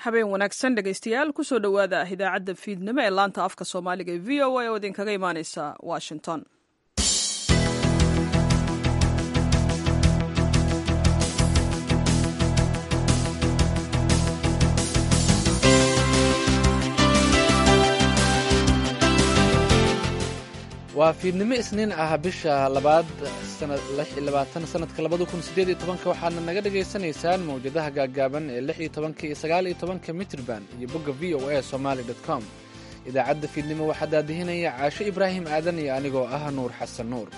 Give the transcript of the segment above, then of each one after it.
Habeen wanaagsan, dhegaystayaal. Kusoo dhowaada idaacadda fiidnimo ee laanta afka Soomaaliga ee VOA oo idinkaga imaaneysa Washington. Waa fiidnimo Isniin ah, bisha labaad, sanadka 2018-ka. Waxaadna naga dhagaysanaysaan mawjadaha gaaggaaban ee 16-ka iyo 19-ka mitrban iyo bogga VOA Somali com. Idaacadda fiidnimo waxaa daadihinaya Caasho Ibraahim Aadan iyo anigoo ah Nuur Xasan Nuur.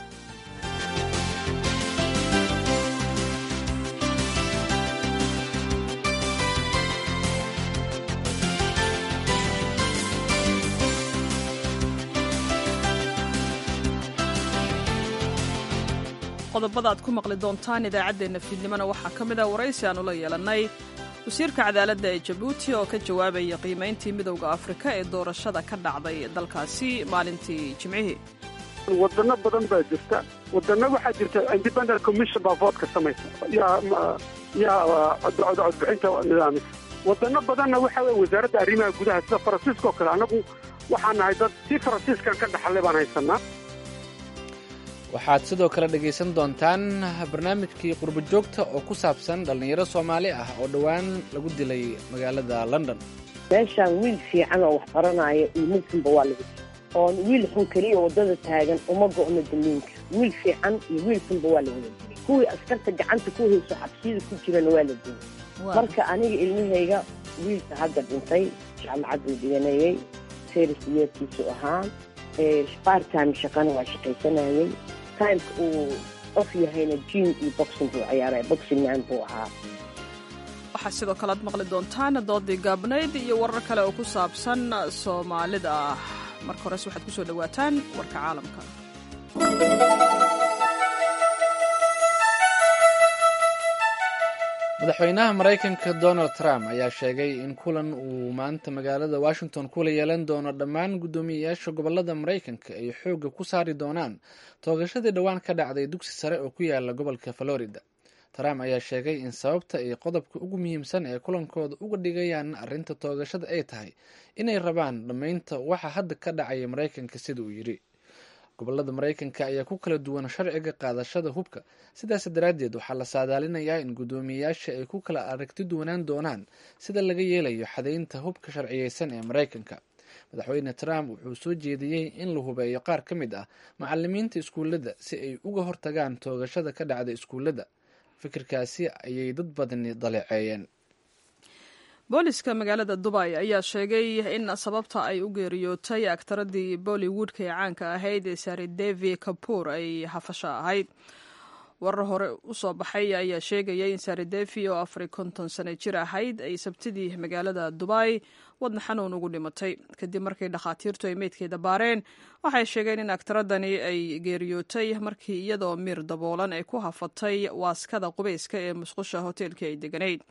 Qodobada aad ku maqli doontaan idaacaddeenna fiidnimona waxaa ka mid ah waraysi aanu la yeelannay wasiirka cadaaladda ee Jabuuti oo ka jawaabaya qiimayntii Midowda Afrika ee doorashada ka dhacday dalkaasi maalintii Jimcihii. Wadano badan baa jirta. Wadano waxaa jirta independent commission baa vote-ka samaysa, yaa codbixinta nidaamisa. Wadano badanna waxa weye wasaaradda arrimaha gudaha, sida Faransiiska oo kale. Annagu waxaan nahay dad si Faransiiskan ka dhaxalay baan haysanaa. Waxaad sidoo kale dhegaysan doontaan barnaamijkii qurbo joogta oo ku saabsan dhallinyaro Soomaali ah oo dhowaan lagu dilay magaalada London. Meeshaan wiil fiican oo wax baranaya iyo mid xunba waa lagu dilay. Oon wiil xun keliya waddada taagan uma go'no daliinka. Wiil fiican iyo wiil xunba waa la wada dilay. Kuwii askarta gacanta ku hayso xabsiyada ku jirana waa la dilay. Marka aniga ilmahayga, wiilka hadda dhintay jaamacad buu dhiganayay, first year-kiisu ahaa. Part-time shaqana waa shaqaysanayay. Time-ka uu off yahayna gym iyo boxing buu ciyaaray, boxing man buu ahaa. Waxaa sidoo kale aad maqli doontaan doodii gaabnayd iyo warar kale oo ku saabsan Soomaalida. Marka hores waxaad ku soo dhowaataan warka caalamka. Madaxweynaha Maraykanka Donald Trump ayaa sheegay in kulan uu maanta magaalada Washington kula yeelan doono dhammaan guddoomiyeyaasha gobolada Maraykanka ay xoogga ku saari doonaan toogashadii dhowaan ka dhacday dugsi sare oo ku yaala gobolka Florida. Trump ayaa sheegay in sababta ay qodobka ugu muhiimsan ee kulankooda uga dhigayaan arrinta toogashada ay tahay inay rabaan dhammaynta waxa hadda ka dhacaya Maraykanka, sida uu yidhi. Gobolada Maraykanka ayaa ku kala duwan sharciga qaadashada hubka. Sidaas daraaddeed waxaa la saadaalinayaa in guddoomiyeyaasha ay ku kala aragti duwanaan doonaan sida laga yeelayo xadeynta hubka sharciyeysan ee Maraykanka. Madaxweyne Trump wuxuu soo jeediyey in la hubeeyo qaar ka mid ah macalimiinta iskuullada si ay uga hortagaan toogashada ka dhacda iskuullada. Fikirkaasi ayay dad badani daleeceeyeen. Booliska magaalada Dubay ayaa sheegay in sababta ay u geeriyootay aktaradii Bollywoodka ee caanka ahayd ee Sridevi Kapoor ay hafasho ahayd. Warar hore u soo baxay ayaa sheegaya in Sridevi oo 54 sano jir ahayd ay Sabtidii magaalada Dubay wadna xanuun ugu dhimatay. Kadib markii dhakhaatiirtu ay meydkeeda baareen, waxay sheegeen in aktaradani ay geeriyootay markii iyadoo miir daboolan ay ku hafatay waaskada qubeyska ee musqusha hoteelkii ay deganayd.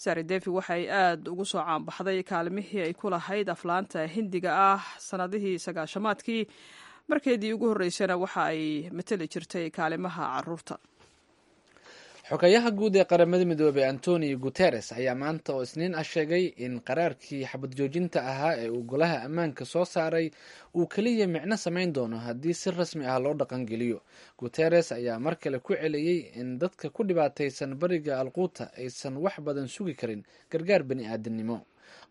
Sridevi waxay aad ugu soo caanbaxday kaalmihii ay ku lahayd aflaanta Hindiga ah sannadihii 90-aadkii. Markeedii ugu horreysana waxa ay mateli jirtay kaalimaha caruurta. Xogayaha guud ee Qaramada Midoobey Antonio Guteres ayaa maanta oo Isniin ah sheegay in qaraarkii xabad joojinta ahaa ee uu Golaha Ammaanka soo saaray uu keliya micno samayn doono haddii si rasmi ah loo dhaqangeliyo. Guteres ayaa mar kale ku celiyey in dadka ku dhibaataysan bariga Alquuta aysan wax badan sugi karin gargaar bani aadamnimo.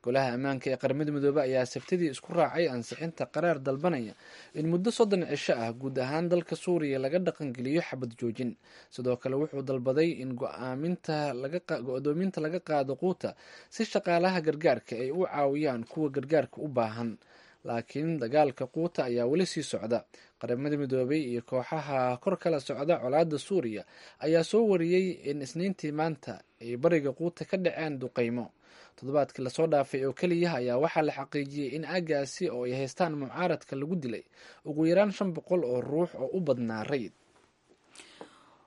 Golaha Ammaanka ee Qaramada Midoobey ayaa Sabtidii isku raacay ansixinta qaraar dalbanaya in muddo 30 cisho ah guud ahaan dalka Suuriya laga dhaqangeliyo xabad joojin. Sidoo kale wuxuu dalbaday in go-doominta laga qaado Quuta si shaqaalaha gargaarka ay u caawiyaan kuwa gargaarka u baahan. Laakiin dagaalka Quuta ayaa weli sii socda. Qaramada Midoobey iyo kooxaha kor kala socda colaadda Suuriya ayaa soo wariyey in Isniintii maanta ay bariga Quuta ka dhaceen duqeymo. Toddobaadkii lasoo dhaafay oo keliya ayaa waxaa la xaqiijiyey in aagaasi oo ay haystaan mucaaradka lagu dilay ugu yaraan 500 oo ruux oo u badnaa rayid.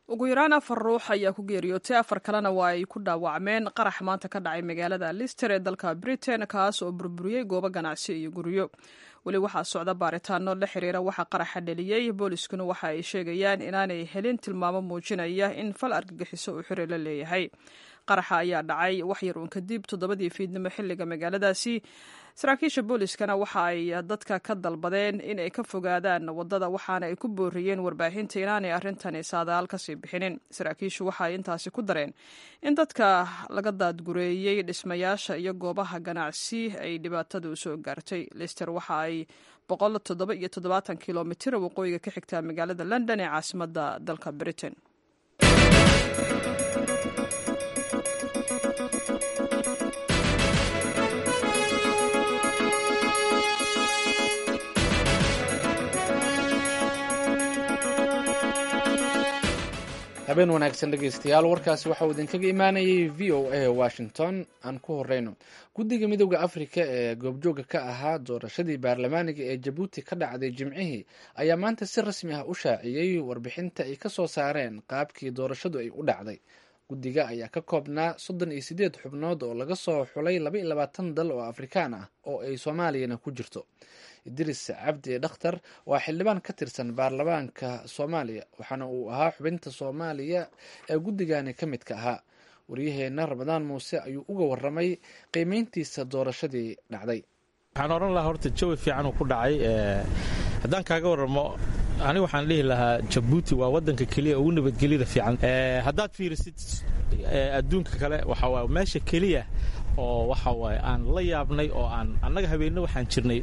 Ugu yaraan afar ruux ayaa ku geeriyootay, afar kalena waa ay ku dhaawacmeen qarax maanta ka dhacay magaalada Leicester ee dalka Britain, kaas oo burburiyey goobo ganacsi iyo guryo. Weli waxaa socda baaritaano la xiriira waxa qaraxa dhaliyey. Booliskuna waxa ay sheegayaan inaanay helin tilmaamo muujinaya in fal argagixiso uu xiri la leeyahay. Qaraxa ayaa dhacay wax yar uun kadib 7dii fiidnimo xilliga magaaladaasi. Saraakiisha booliskana waxa ay dadka ka dalbadeen in ay ka fogaadaan waddada, waxaana ay ku booriyeen warbaahinta inaanay arrintani saadaal kasii bixinin. Saraakiishu waxa ay intaasi ku dareen in dadka laga daadgureeyey dhismayaasha iyo goobaha ganacsi ay dhibaatadu soo gaartay. Lister waxa ay 177 kilomitir waqooyiga ka xigtaa magaalada London ee caasimadda dalka Britain. Habeen wanaagsan, dhegeystayaal. Warkaasi waxa uu idinkaga imaanayay VOA Washington. Aan ku horeyno, guddiga Midowda Afrika ee goobjooga ka ahaa doorashadii baarlamaaniga ee Jabuuti ka dhacday Jimcihii ayaa maanta si rasmi ah u shaaciyey warbixinta ay kasoo saareen qaabkii doorashadu ay u dhacday. Guddiga ayaa ka koobnaa 38 xubnood oo laga soo xulay 22 dal oo Afrikaan ah oo ay Soomaaliyana ku jirto. Idris Cabdi Dhakhtar waa xildhibaan ka tirsan baarlamaanka Soomaaliya, waxaana uu ahaa xubinta Soomaaliya ee guddigani ka midka ahaa. Waryaheena Ramadaan Muuse ayuu uga waramay qiimeyntiisa doorashadii dhacday. Waxaan odhan lahaa, horta jawi fiican uu ku dhacay. Haddaan kaaga warramo, ani waxaan dhihi lahaa Jabuuti waa waddanka keliya ugu nabadgelyada fiican. Haddaad fiirisid adduunka kale, waxa waay meesha keliya oo waxa waaye aan la yaabnay oo aan annaga habeenno waxaan jirnay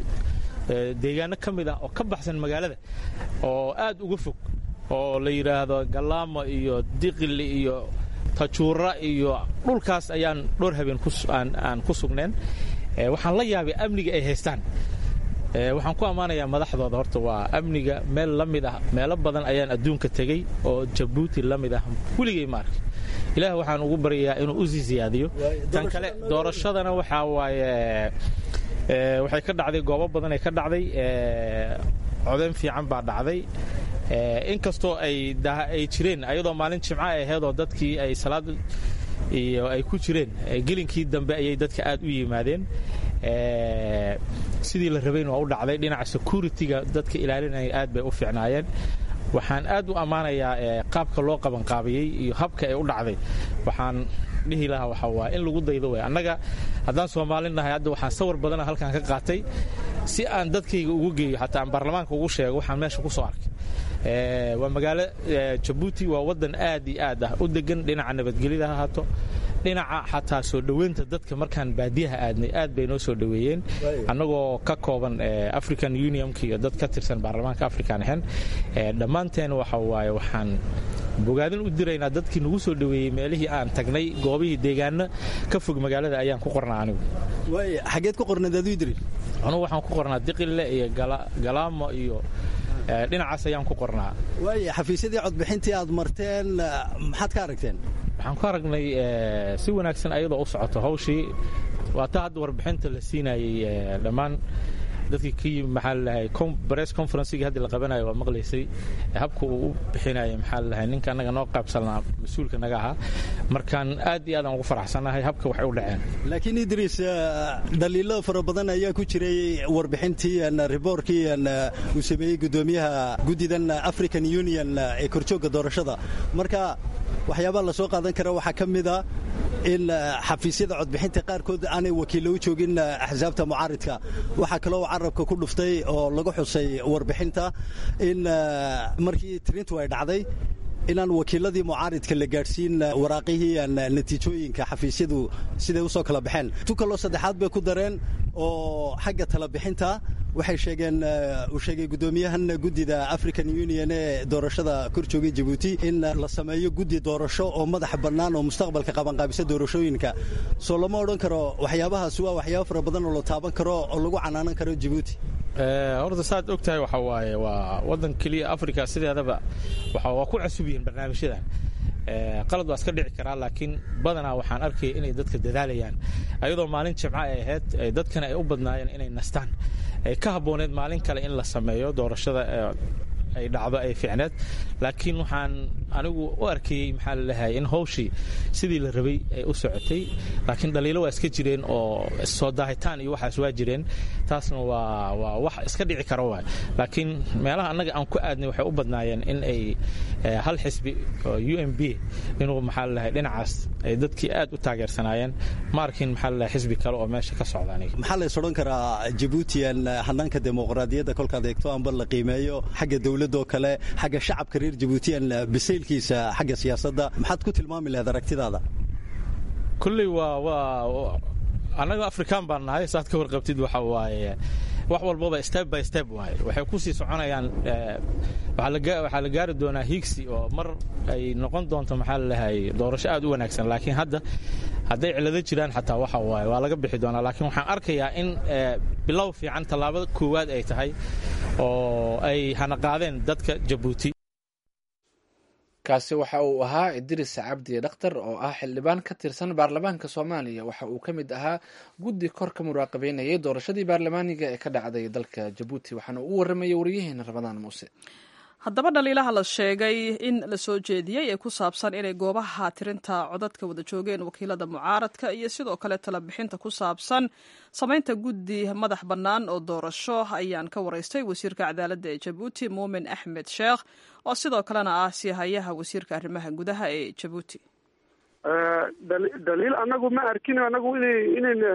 deegaano ka mid ah oo ka baxsan magaalada oo aad uga fog oo la yidhaahdo Galaamo iyo Diqili iyo Tajuura iyo dhulkaas ayaan dhowr habeen aan ku sugneen. Waxaan la yaabay amniga ay haystaan. Waxaan ku ammaanayaa madaxdooda. Horta waa amniga meel la mid ah meelo badan ayaan adduunka tegey oo Jabuuti la mid ah weligay ma arki. Ilaah waxaan ugu baryayaa inuu u sii siyaadiyo. Tan kale, doorashadana waxaa waaye waxay ka dhacday goobo badan ay ka dhacday. Codeyn fiican baa dhacday, inkastoo ay jireen ayadoo maalin Jimco ay ahayd oo dadkii ay salaad iyo ay ku jireen. Gelinkii dambe ayay dadka aad u yimaadeen. Sidii la rabayn waa u dhacday. Dhinaca security-ga dadka ilaalinaya aad bay u fiicnaayeen. Waxaan aad u ammaanayaa qaabka loo qabanqaabiyey iyo habka ay u dhacday. Waxaan dhihi lahaa waxa waa in lagu daydo wey. Annaga haddaan Soomaali nahay, hadda waxaan sawir badana halkan ka qaatay si aan dadkayga ugu geeyo, xataa aan baarlamaanka ugu sheego waxaan meesha ku soo arkay. Waa magaalo Jabuuti, waa waddan aad iyo aad ah u degan, dhinaca nabadgelyada ha ahaato, dhinaca xataa soo dhoweynta dadka. Markaan baadiyaha aadnay, aad bay noo soo dhoweeyeen, annagoo ka kooban African Unionka iyo dad ka tirsan baarlamaanka African ahayn dhammaanteen. Waxa waaye waxaan bogaadin u diraynaa dadkii nagu soo dhoweeyey meelihii aan tagnay, goobihii deegaano ka fog magaalada ayaan ku qornaa anigu. Waay, xageed ku qornayd aduu, Idris? Anugu waxaan ku qornaa Diqille iyo Galaamo iyo dhinacaas ayaan ku qornaa. Waay, xafiisyadii codbixintii aad marteen maxaad ka aragteen? Waxaan ku aragnay si wanaagsan ayadoo u socoto hawshii. Waa ta hadda warbixinta la siinayey dhammaan dadkii ka yimi, maxaa lalahay, press conferencegii hadda la qabanayo waa maqlaysay habka uu u bixinayay, maxaa lalahay, ninka annaga noo qaybsanaa, mas-uulka naga ahaa. Markaan aad iyo aad aan ugu faraxsanahay habka waxay u dhaceen. Laakiin Idriis, dhaliilo fara badan ayaa ku jiray warbixintii, riboorkii uu sameeyey guddoomiyaha guddidan African Union ee korjoogga doorashada. Marka waxyaabaha la soo qaadan kara waxaa ka mid a in xafiisyada codbixinta qaarkood aanay wakiillo u joogin axsaabta mucaaridka. Waxaa kaloo carabka ku dhuftay oo lagu xusay warbixinta in markii tirintu ay dhacday inaan wakiiladii mucaaridka la gaadhsiin waraaqihii natiijooyinka xafiisyadu siday usoo kala baxeen. Tu kaloo saddexaad bay ku dareen oo xagga talabixinta waxay sheegeen, uu sheegay guddoomiyahan guddida African Union ee doorashada kor joogay Jabuuti, in la sameeyo guddi doorasho oo madax bannaan oo mustaqbalka qabanqaabisa doorashooyinka. Soo lama odhan karo waxyaabahaas waa waxyaabo fara badan oo la taaban karo oo lagu canaanan karo Jabuuti? Horta saad og tahay, waxa waaye waa waddan keliya Africa. Sideedaba waxa waa ku cusub yihiin barnaamijyadan. Qalad waa iska dhici karaa, laakiin badanaa waxaan arkaya inay dadka dadaalayaan, ayadoo maalin Jimco ay ahayd, dadkana ay u badnaayeen inay nastaan, ay ka habbooneed maalin kale in la sameeyo doorashada. ay dhacdo ay fiicneed, laakiin waxaan anigu u arkayey maxaa lalehay in hawshii sidii la rabay ay u socotay, laakiin dhaliilo waa iska jireen oo soo daahitaan iyo waxaas waa jireen, taasna waa wax iska dhici kara waay. Laakiin meelaha annaga aan ku aadnay waxay u badnaayeen in ay hal xisbi oo UMP inuu maxaa lalehay dhinacaas ay dadkii aad u taageersanaayeen. Ma arkin maxaa lalehay xisbi kale oo meesha ka socda aniga. Maxaa la is odhan karaa Jabuutiyan hannaanka dimuqraadiyadda kolkaad eegto amba la qiimeeyo xagga dowladoo kale, xagga shacabka reer Jabuutiyan bisaylkiisa xagga siyaasadda, maxaad ku tilmaami lahayd aragtidaada? Kulley waa annaga Afrikaan baan nahay, saad ka warqabtid. Waxa waaye wax walbaba step by step waaye, waxay ku sii soconayaan. Waxaa la gaari doonaa hiigsi oo mar ay noqon doonto maxaa lalehay doorasho aad u wanaagsan, laakiin hadda hadday cilado jiraan xataa waxa waaye waa laga bixi doonaa. Laakiin waxaan arkayaa in bilow fiican, tallaabada koowaad ay tahay oo ay hanaqaadeen dadka Jabuuti. Kaasi waxa uu ahaa Idris Cabdi Dhakhtar oo ah xildhibaan ka tirsan baarlamaanka Soomaaliya. Waxa uu ka mid ahaa guddi kor ka muraaqabeynayay doorashadii baarlamaaniga ee ka dhacday dalka Jabuuti, waxaana uu waramayay wariyaheena Ramadaan Muuse. Haddaba dhaliilaha la sheegay in la soo jeediyey ee ku saabsan inay goobaha tirinta codadka wada joogeen wakiilada mucaaradka iyo sidoo kale talabixinta ku saabsan samaynta guddi madax bannaan oo doorasho ayaan ka waraystay wasiirka cadaaladda ee Jabuuti, Muumin Axmed Sheekh, oo sidoo kalena ah siihayaha wasiirka arrimaha gudaha ee Jabuuti. Dhaliil anagu ma arkin, anagu inay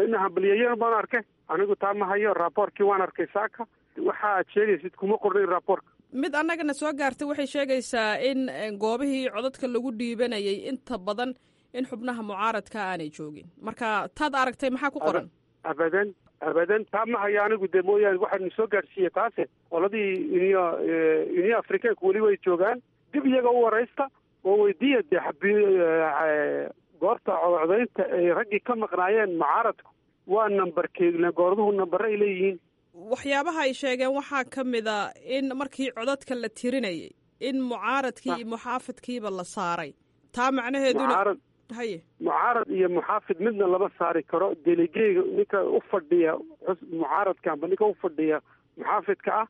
ina hambalyeeyeen baan arkay anigu. Taa ma hayo, raaboorkii waan arkay saaka, waxa aad sheegaysid kuma qornayn raaboorka. Mid annagana soo gaartay waxay sheegaysaa in goobihii codadka lagu dhiibanayay inta badan in xubnaha mucaaradka aanay joogin. Marka taad aragtay maxaa ku qoran? Abadan, abadan, taa ma hayo anigu dee. Mooyaane waxaanu soo gaadhsiiyey taase qoladii Union Africaanku weli way joogaan. Dib iyaga u waraysta oo weydiiya dee goorta codcodaynta ay raggii ka maqnaayeen mucaaradku waa nambarkee, goorduhu nambare ay leeyihiin. Waxyaabaha ay sheegeen waxaa ka mid a in markii codadka la tirinayay in mucaaradkii iyo muxaafidkiiba la saaray, taa macnaheeduna haye. Mucaarad iyo muxaafid midna lama saari karo. Delegeyga ninka u fadhiya mucaaradka amba ninka u fadhiya muxaafidka ah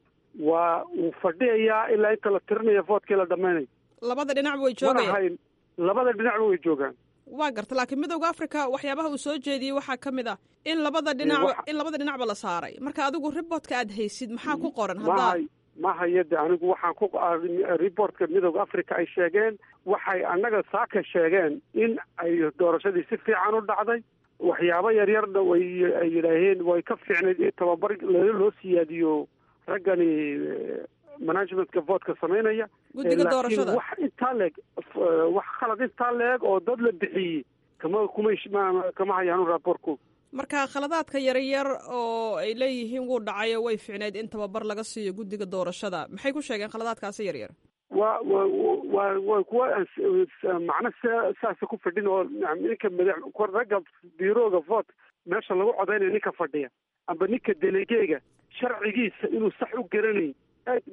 waa uu fadhiyayaa ilaa inta la tirinayo voodkii la dhamaynayo. Labada dhinacba way joogayaan. Labada dhinacba way joogaan. Waa garta, laakiin Midowda Africa waxyaabaha uu soo jeediyey waxaa ka mid ah in labada dhinac in labada dhinacba la saaray. Marka adigu riboortka aad haysid maxaa ku qoran? Haddaa ma hayo de anigu. Waxaan ku reportka Midowda Africa ay sheegeen, waxay annaga saaka sheegeen in ay doorashadii si fiican u dhacday, waxyaabo yaryarna way ay yidhaaheen way ka fiicnayd in tababar loo siyaadiyo raggani managementka voodka samaynaya. Guddiga doorashada. Wax intaa leeg, wax khalad intaa leeg oo dad la bixiyey kama kumay kama hayaanu raaboorku. Marka khaladaadka yaryar oo ay leeyihiin wuu dhacayo, way fiicneyd in tababar laga siiyo guddiga doorashada, maxay ku sheegeen khaladaadkaasi yaryar? Wa wa wa waa kuwa macno saasa ku fadhin oo ninka madax ragga biirooga vote meesha lagu codaynayo ninka fadhiya amba ninka delegeega sharcigiisa inuu sax u garanayn.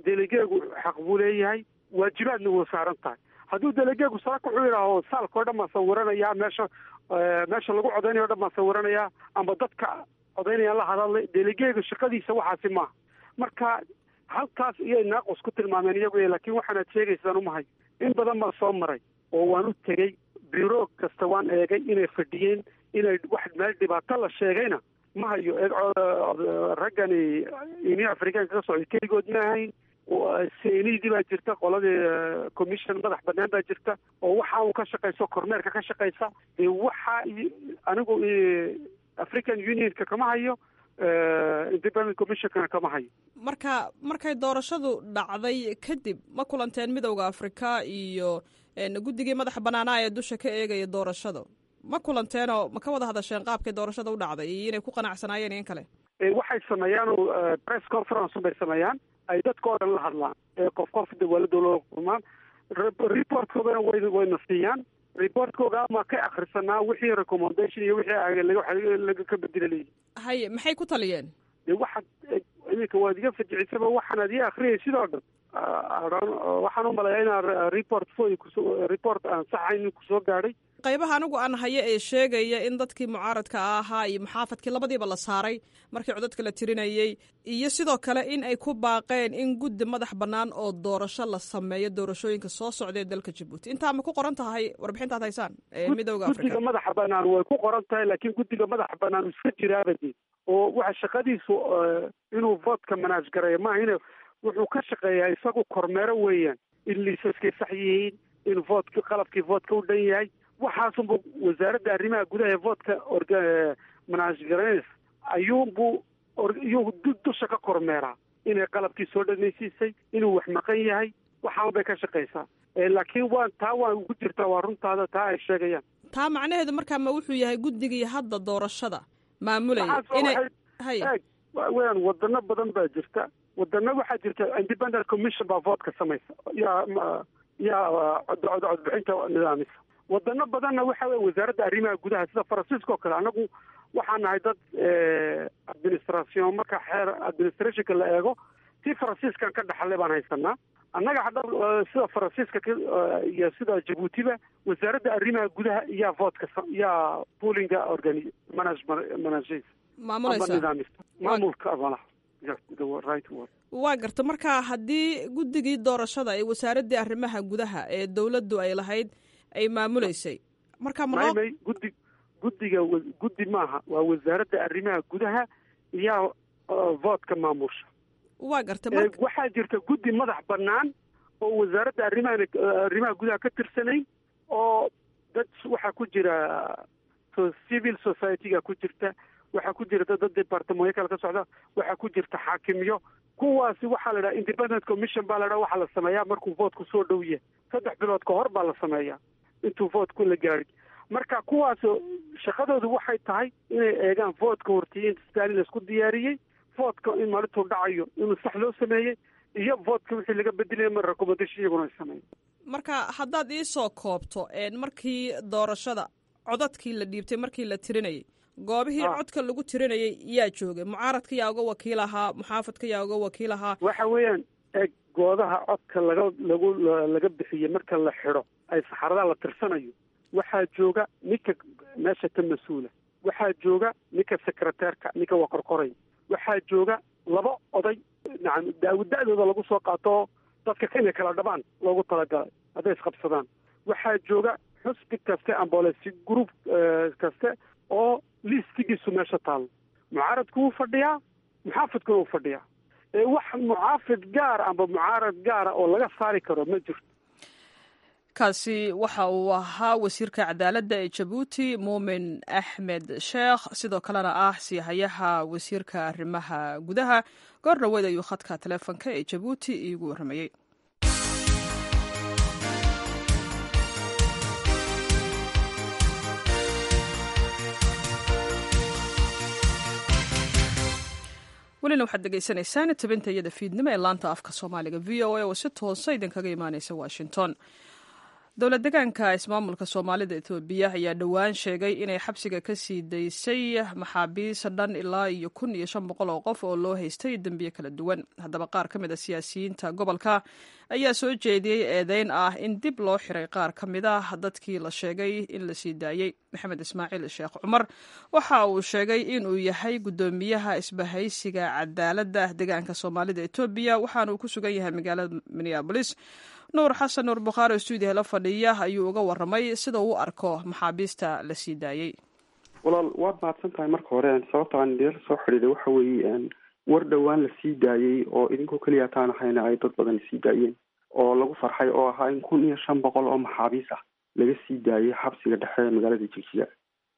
Delegeegu xaq buu leeyahay, waajibaadna wuu saaran tahay. Hadduu delegeegu saaka wuxuu yidhaaho saalka oo dhan baan sawiranayaa, meesha lagu codaynayo o dhan baan sawiranayaa amba dadka codaynayaan la hadalay, delegeegu shaqadiisa waxaasi maaha. Marka halkaas iyay naaqus ku tilmaameen iyagu, laakiin waxaanaad sheegaysaan umahay. In badan baan soo maray oo waan u tegey biro kasta, waan eegay inay fadhiyeen, inay wax meel dhibaato la sheegayna ma hayo. Raggani Union Africaanka ka socday keligood ma ahayn. CENI-dii baa jirta, qoladii commission madax banaan baa jirta oo waxa uu ka shaqayso kormeerka ka shaqaysa. Dee waxa anigu African Unionka kama hayo, Independent Commissionkana kama hayo. Marka markay doorashadu dhacday kadib ma kulanteen Midowda Africa iyo guddigii madaxa banaanaa ee dusha ka eegaya doorashada? Ma kulanteenoo ma ka wada hadasheen qaabkay doorashada u dhacday iyo inay ku qanacsanaayeen in kale? Waxay sameeyaan press conference bay sameeyaan ay dadka oo dhan la hadlaan, qof qof dawladda loo kulmaan, reportkoodana wayna siiyaan. Reportkooga ama ka akhrisanaa wixii recommendation iyo wixii laga ka bedela leeyihin. Haye, maxay ku taliyeen? De waxaad iminka waad iga fajicisaba, waxaanaad ii akhriyay sidoo dhan. Waxaan u maleeyaa inaan report foy kuso report aan saxayn kusoo gaadhay. Qaybaha anigu aan hayo ee sheegaya in dadkii mucaaradka ahaa iyo muxaafadkii labadiiba la saaray markii codadka la tirinayey, iyo sidoo kale in ay ku baaqeen in guddi madax bannaan oo doorasho la sameeyo doorashooyinka soo socda ee dalka Jabuuti. Intaa ma ku qoran tahay warbixintaad haysaan ee Midowda Afrika? Guddiga madaxa bannaan way ku qoran tahay, laakiin guddiga madaxa bannaan iska jiraabadi oo waxa shaqadiisu inuu voodka manaaj gareeyo maaha, in wuxuu ka shaqeeyaa isagu kormeero weeyaan, in liisaskay sax yihiin, in voodka qalabkii voodka u dhan yahay. Waxaasunbu wasaaradda arrimaha gudaha ee voodka manaaj garaynaysa ayuunbuu iyuu dusha ka kormeeraa inay qalabkii soo dhanaysiisay, inuu wax maqan yahay, waxaan bay ka shaqaysaa. Laakiin waan taa waan ugu jirtaa, waa runtaada taa ay sheegayaan. Taa macnaheedu markaa ma wuxuu yahay guddigii hadda doorashada maamulaya inay hay weyaan? Wadano badan baa jirta, wadano waxaa jirta independent commission baa voodka samaysa, yaa codbixinta nidaamisa. Wadano badanna waxa weye wasaaradda arrimaha gudaha, sida Faransiiska oo kale. Anagu waxaan nahay dad administration, marka xeer administrationka la eego tii Faransiiskan ka dhaxalay baan haysanaa annaga hadda. Sida Faransiiska iyo sida Jabuutiba, wasaaradda arrimaha gudaha iyaa voodka, yaa poolinga organi manage maamulaysa nidaamista maamulka malaha, the right word. Waa garta. Marka haddii guddigii doorashada ee wasaaraddii arrimaha gudaha ee dowladdu ay lahayd ay maamuleysay, marka ma may guddi guddiga guddi maaha, waa wasaaradda arrimaha gudaha iyaa voodka maamusha. Waa garta. Waxaa jirta guddi madax bannaan oo wasaaradda arrimaha gudaha ka tirsanayn, oo dad waxaa ku jira civil society-ga ku jirta, waxaa ku jirta dad departamentyo kale ka socda, waxaa ku jirta xaakimyo. Kuwaasi waxaa la dhaha independent commission baa la dhaha. Waxaa la sameeyaa markuu voodku soo dhow yahay, 3 bilood ka hor baa la sameeyaa intuu voodku la gaadhin. Marka kuwaas shaqadoodu waxay tahay inay eegaan voodka hortiye in stalin laisku diyaariyey, voodka in maalintuu dhacayo inuu sax loo sameeyey, iyo voodka wixii laga bedelaya mar recommendation iyaguna ay sameeyen. Marka haddaad iisoo koobto, markii doorashada codadkii la dhiibtay, markii la tirinayay, goobihii codka lagu tirinayay yaa joogay? Mucaaradka yaa uga wakiil ahaa? Muxaafadka yaa uga wakiil ahaa? Waxa weeyaan, eg, goodaha codka laga lagu laga bixiyey marka la xidho ay saxaradaha la tirsanayo, waxaa jooga ninka meesha ka mas-uula, waxaa jooga ninka sekreteerka, ninka waa qorqoray, waxaa jooga laba oday, nacam, da-dooda lagu soo qaato dadka inay kala dhabaan loogu talagalay hadday isqabsadaan. Waxaa jooga xusbi kaste ambolesi group kaste oo listigiisu meesha taalo. Mucaaradku wuu fadhiyaa, muxaafidkuna wuu fadhiyaa. Ee wax muxaafid gaara amba mucaarad gaara oo laga saari karo ma jirto. Kaasi waxa uu ahaa wasiirka cadaaladda ee Jabuuti, Muumin Axmed Sheekh, sidoo kalena ah siihayaha wasiirka arrimaha gudaha. Goor dhaweyd ayuu khadka taleefonka ee Jabuuti iigu warramayey. Welina waxaad degeysanaysaan tabinta iyada fiidnimo ee laanta afka Soomaaliga VOA oo si toosa idinkaga imaaneysa Washington. Dowlad degaanka ismaamulka Soomaalida Etoobiya ayaa dhowaan sheegay inay xabsiga ka sii daysay maxaabiis dhan ilaa iyo 1500 oo qof oo loo haystay dembiye kala duwan. Haddaba qaar ka mid a siyaasiyiinta gobolka ayaa soo jeediyey eedeyn ah in dib loo xiray qaar ka mid ah dadkii la sheegay in la sii daayey. Maxamed Ismaaciil Sheekh Cumar waxa uu sheegay inuu yahay guddoomiyaha isbahaysiga cadaaladda degaanka Soomaalida Etoobiya, waxaana uu ku sugan yahay magaalada Minneabolis. Nuur Xasan Nuur Bukhaari oo stuudiyaha la fadhiya ayuu uga warramay sida uu u arko maxaabiista la sii daayey. Walaal, waad mahadsan tahay. Marka hore, sababta aan idinla soo xidhiiday waxa weeye war dhowaan la sii daayey oo idinkoo keliya taan ahayna ay dad badan sii daayeen oo lagu farxay, oo ahaa in 1500 oo maxaabiis ah laga sii daayey xabsiga dhexe ee magaalada Jigjiga.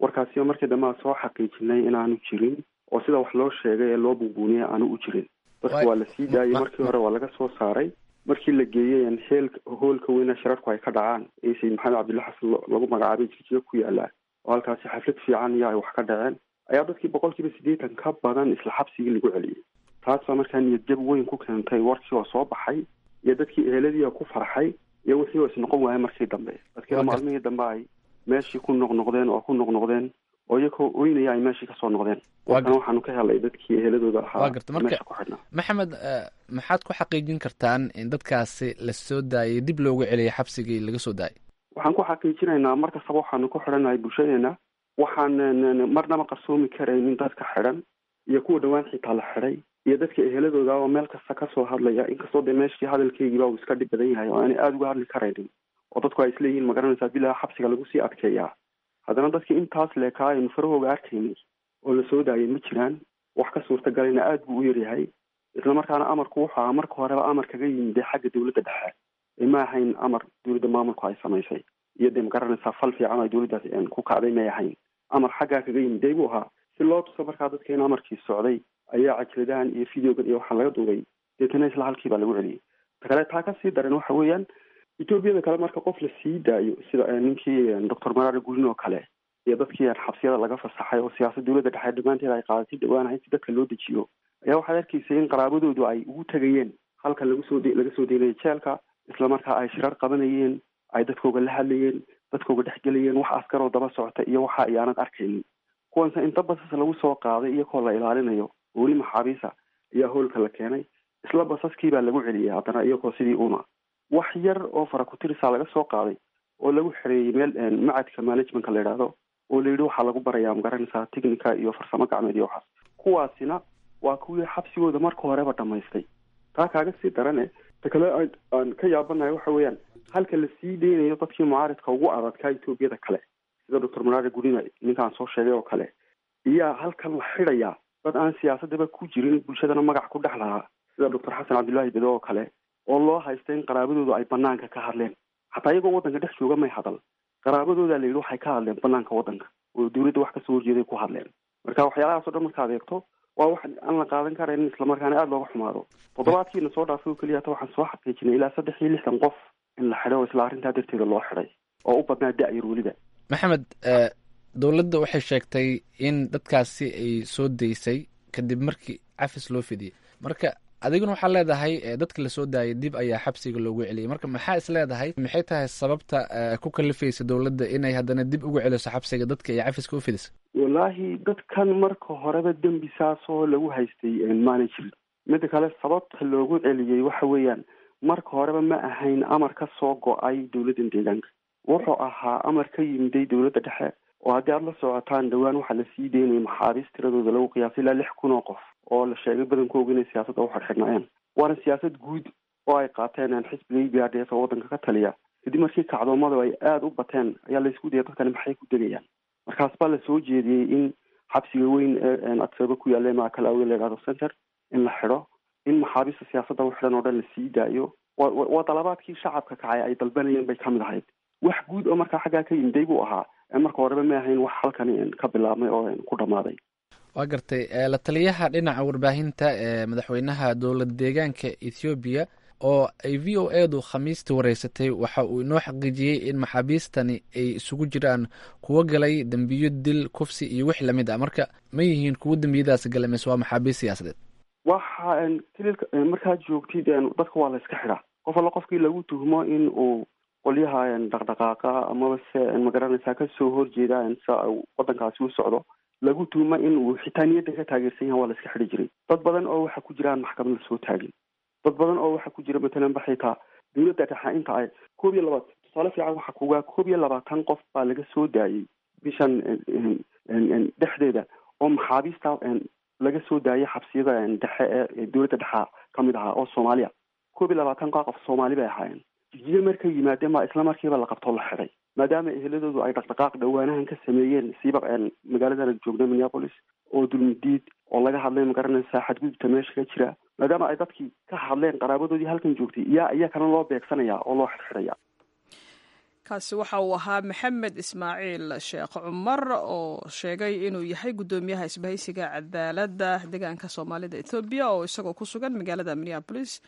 Warkaasiba markii dambe aan soo xaqiijinay inaanu jirin, oo sida wax loo sheegay ee loo buunbuuniyay aanu u jirin. Dadka waa la sii daayey, markii hore waa laga soo saaray. Markii la geeyey heel hoolka weyna shirarku ay ka dhacaan ee Sayid Maxamed Cabdulla Xasan lagu magacaabay Jigjiga ku yaala, oo halkaasi xaflad fiican iyo ay wax ka dhaceen, ayaa dadkii 80% ka badan isla xabsigii lagu celiyey. Taas baa markaa niyad jab weyn ku keentay warkii oo soo baxay iyo dadkii eheladii ku farxay iyo wixii oo isnoqon waayay markii dambe. Dadkiina maalmihii dambe ay meeshii ku noqnoqdeen oo ku noqnoqdeen oo iyakoo oynaya ay meeshii kasoo noqdeen. Warkana waxaanu ka helay dadkii eheladooda ahaa Waa garta. Marka meesha ku xidhnaa. Maxamed, maxaad ku xaqiijin kartaan in dadkaasi la soo daayay dib loogu celiyay xabsigii laga soo daayay? Waxaan ku xaqiijinaynaa mar kastaba waxaanu ku xidhannahay bulshadeena. Waxaan marnaba qarsoomi karaynin dadka xidhan iyo kuwa dhowaan xitaa la xidhay iyo dadka eheladooda oo meel kasta kasoo hadlaya, inkastoo dee meeshii hadalkeygiiba uu iska dhib badan yahay oo aanay aada uga hadli karaynin oo dadku ay isleeyihiin, magaranaysaa, bilaa xabsiga lagu sii adkeeyaa. Haddana dadkii intaas leekaa aynu farahooga arkaynay oo la soo daayay ma jiraan. Wax ka suurtagalayna aada buu u yaryahay. Isla markaana amarku wuxuu ahaa marka horeba amar kaga yimid xagga dowladda dhexe ee ma ahayn amar dowladda maamulku ay samaysay iyo dee, magaranaysaa, fal fiican ay dowladdaas ku kacday may ahayn. Amar xaggaa kaga yimiday buu ahaa. Si loo tuso markaa dadka in amarkii socday ayaa cajaladahan iyo videogan iyo waxaan laga duubay, deetana isla halkii baa lagu celiyey. Ta kale taa kasii daran waxa weeyaan, Etoobiyada kale marka qof la sii daayo, sida ninkii Doctor Maraara Gurin oo kale iyo dadkii xabsiyada laga fasaxay oo siyaasad dowladda dhexe dhammaanteed ay qaadatay dhawaanahay si dadka loo dejiyo, ayaa waxaad arkaysay in qaraabadoodu ay ugu tegayeen halka lagu soo laga soo deynayay jeelka. Isla markaa ay shirar qabanayeen, ay dadkooga la hadlayeen, dadkooga dhexgelayeen, wax askaroo daba socota iyo waxa ayaanad arkaynin. Kuwanse inta basas lagu soo qaaday iyakoo la ilaalinayo oo weli maxaabiisa ayaa hoolka la keenay. Isla basaskii baa lagu celiyay haddana iyakoo sidii una wax yar oo farakutirisaa laga soo qaaday oo lagu xereeyey meel macadka managementka la yidhaahdo oo la yidhi waxaa lagu barayaa, magaranaysaa, technica iyo farsamo gacmeed iyo waxaas. Kuwaasina waa kuwii xabsigooda marka horeba dhamaystay. Taa kaaga sii darane, ta kale aan ka yaabanahay waxa weeyaan, halka la sii deynayo dadkii mucaaridka ugu adadkaa Etoobiyada kale, sida Doctor Maraare Gurina ninkaan soo sheegay oo kale, iyaa halkan la xidhayaa dad aan siyaasadaba ku jirin, bulshadana magac ku dhex lahaa, sida Doctor Xasan Cabdullaahi Bedo oo kale, oo loo haysta in qaraabadoodu ay banaanka ka hadleen. Xataa iyagoo waddanka dhex jooga may hadal. Qaraabadooda la yidhi waxay ka hadleen banaanka waddanka oo dowladda wax kasoo horjeeday ku hadleen. Marka waxyaalahaas o dhan markaad eegto, waa wax aan la qaadan karayn, islamarkaana aada looga xumaado. Toddobaadkiina soo dhaafay oo keliya hata waxaan soo xaqiijinay ilaa 63 qof in la xidhay oo isla arrintaa darteeda loo xidhay, oo u badnaa da-yar weliba. Maxamed, dowladda waxay sheegtay in dadkaasi ay soo daysay kadib markii cafis loo fidiyey. Marka adiguna waxaa leedahay dadka lasoo daayay dib ayaa xabsiga loogu celiyay. Marka maxaa is leedahay, maxay tahay sababta ku kalifaysa dowladda inay haddana dib ugu celiso xabsiga dadka ay cafiska u fidisa? Wallaahi, dadkan marka horeba dembi saasoo lagu haystay maanay jirin. Midda kale, sababta loogu celiyey waxa weeyaan, marka horeba ma ahayn amar ka soo go-ay dowladdan deegaanka. Wuxuu ahaa amar ka yimiday dowladda dhexe, oo haddii aada la socotaan, dhowaan waxaa la sii deynayay maxaabiis tiradooda lagu qiyaasay ilaa 6000 oo qof, oo la sheegay badankooga inay siyaasadda u xidhxidhnaayeen. Waana siyaasad guud oo ay qaateen xisbiga EPRDF oo waddanka ka taliya. Kadib markii kacdoomadu ay aada u bateen ayaa laysku dayay dadkani maxay ku degayaan. Markaas baa la soo jeediyey in xabsiga weyn ee Addis ku yaalla Maakalawi la yidhahdo center in la xidho, in maxaabiista siyaasadda u xidhan oo dhan la sii daayo. Waa dalabaadkii shacabka kacay ay dalbanayeen bay kamid ahayd. Wax guud oo markaa xaggaa ka yimiday buu ahaa. Marka horeba ma ahayn wax halkani ka bilaabmay oo ku dhammaaday. Waa gartay. La taliyaha dhinaca warbaahinta ee madaxweynaha dowlad deegaanka Ethoobiya oo ay VOA du Khamiistii wareysatay waxa uu inoo xaqiijiyey in maxaabiistani ay isugu jiraan kuwo galay dembiyo dil, kufsi iyo wix lamid ah. Marka ma yihiin kuwo dembiyadaasi galay mise waa maxaabiist siyaasadeed? Waxa kililka markaad joogtid dadka waa la iska xidhaa. Qof alla qofkii lagu tuhmo in uu qolyaha dhaqdhaqaaqa amaba se, magaranaysaa, kasoo horjeeda sa wadankaasi u socdo lagu tuhmo, in uu xitaa niyadda ka taageersan yahay, waa la iska xidhi jiray. Dad badan oo waxa ku jiraan maxkamad lasoo taagin, dad badan oo waxa ku jira matalan ba xitaa dowladda dhexe inta ay 21, tusaale fiican waxa kugaa 21 qof baa laga soo daayey bishan dhexdeeda oo maxaabiista laga soo daayay xabsiyada dhexe ee dowladda dhexa kamid ahaa oo Soomaaliya. 21 qof Soomaali bay ahaayeen. Jigjiga markay yimaadeen baa isla markiiba la qabtoo la xidhay, maadaama eheladoodu ay dhaqdhaqaaq dhowaanahan ka sameeyeen siiba magaaladan joogna Minneapolis, oo dulmidiid oo laga hadlay, magaranaysaa, xadgudubta meesha ka jira. Maadaama ay dadkii ka hadleen qaraabadoodii halkan joogtay, yaa iyakana loo beegsanaya oo loo xidhxidhaya. Kaasi waxa uu ahaa Maxamed Ismaaciil Sheekh Cumar oo sheegay inuu yahay guddoomiyaha isbahaysiga cadaaladda deegaanka Soomaalida Etoobiya, oo isagoo ku sugan magaalada Minneapolis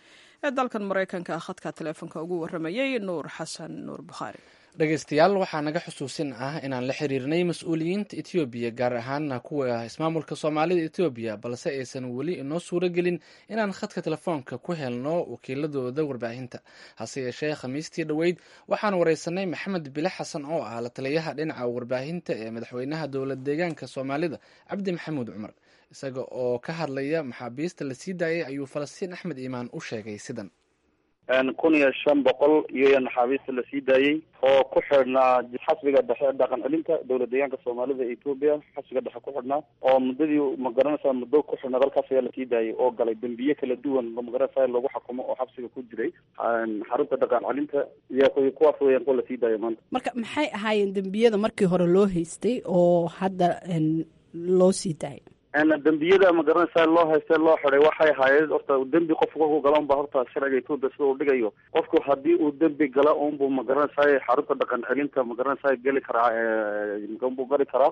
ee dalkan Maraykanka khadka taleefonka ugu waramayey Nuur Xasan Nuur Bukhaari. Dhegeystayaal, waxaa naga xusuusin ah inaan la xiriirnay mas-uuliyiinta Etoobiya, gaar ahaana kuwa ismaamulka Soomaalida Etoobiya, balse aysan weli inoo suuro gelin inaan khadka telefoonka ku helno wakiiladooda warbaahinta. Hase yeeshee, Khamiistii dhoweyd waxaan wareysanay Maxamed Bile Xasan oo ah la taliyaha dhinaca warbaahinta ee madaxweynaha dowlad deegaanka Soomaalida, Cabdi Maxamuud Cumar. Isaga oo ka hadlaya maxaabiista la sii daayay ayuu Falastiin Axmed Iimaan u sheegay sidan. 1500 iyo naxaabiista la sii daayey oo ku xidhnaa xasbiga dhexe dhaqan celinta dowlad deegaanka Soomaalida ee Ethiopia, xasbiga dhexe ku xidhnaa oo muddadii magaranaysaa muddo ku xidhnaa dalkaas ayaa lasii daayey oo galay dembiye kala duwan magaranaysaa lagu xukumo oo xabsiga ku jiray xarunta dhaqan celinta iyo kuwaas weeyaan kuwa lasii daayay maanta. Marka maxay ahaayeen dembiyada markii hore loo haystay oo hadda loo sii daayay? Dembiyada magaranaysaa loo haystay loo xiday waxay ahaayeen horta dembi qofku kolkuu gala unba horta sharciga Ethiopia sida uu dhigayo qofku haddii uu dembi gala unbuu magaranaysaa xarunta dhaqan celinta magaranaysaa geli karaa, unbuu gali karaa.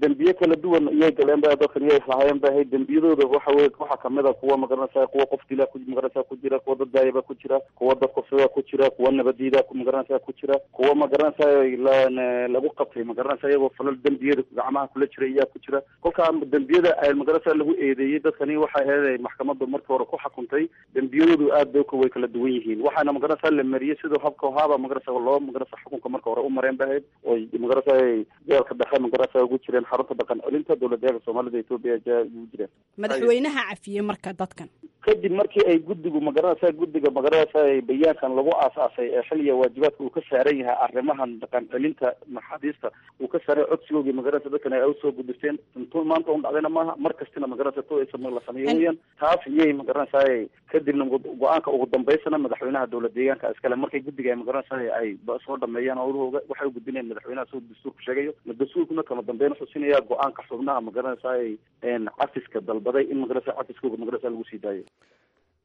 Dembiye kala duwan iyay galeen ba dadkan iyay lahaayeen bay ahayd dembiyadooda. Waxa weye waxaa kamid a kuwa magaranaysaa kuwa qof dila magaranaysaa ku jira, kuwa dad daayaba ku jira, kuwa dad kufsada ku jira, kuwa nabadiida magaranaysaa ku jira, kuwa magaranaysaa lagu qabtay magaranaysaa iyagoo falal dembiyada gacmaha kula jira iyaa ku jira. Kolkaa dembiyada magaranaysaa lagu eedeeyey dadkani waxay ahayd maxkamaddu markii hore ku xukuntay dembiyadoodu aad bay way kala duwan yihiin. Waxaana magaranaysaa la mariyey sidoo habka haaba magaranaysaa loo magaranaysaa xukunka marka hore u mareen bay ahayd oo magaranaysaa jeelka dhexe magaranaysaa ugu jireen xarunta dhaqan celinta dowlad deegaanka Soomaalida Ethiopia ugu jireen. Madaxweynaha cafiyey marka dadkan kadib markii ay guddigu magaranaysaa guddiga magaranaysaa bayaankan lagu aasaasay ee xilliga waajibaadka uu ka saaran yahay arrimahan dhaqan celinta maxaabiista uu ka saaray codsigoogii magaranaysa dadkan ay usoo gudbisteen intuu maanta un dhacdayna maaha, mar kastina magaranaysa to la sameeyo weeyaan taas iyay magaranaysaa. Kadibna go-aanka ugu dambeysana madaxweynaha dowlad deegaanka iskale markay guddiga ay magaranaysaa ay soo dhameeyaan howlahooga waxay u gudbinayaan madaxweynaha siduu dastuurku sheegayo. Dastuurkuna kama dambeyn wuxuu siinayaa go-aanka xubnaha magaranaysaa cafiska dalbaday in magaranaysaa cafiskooga magaranaysaa lagu sii daayo.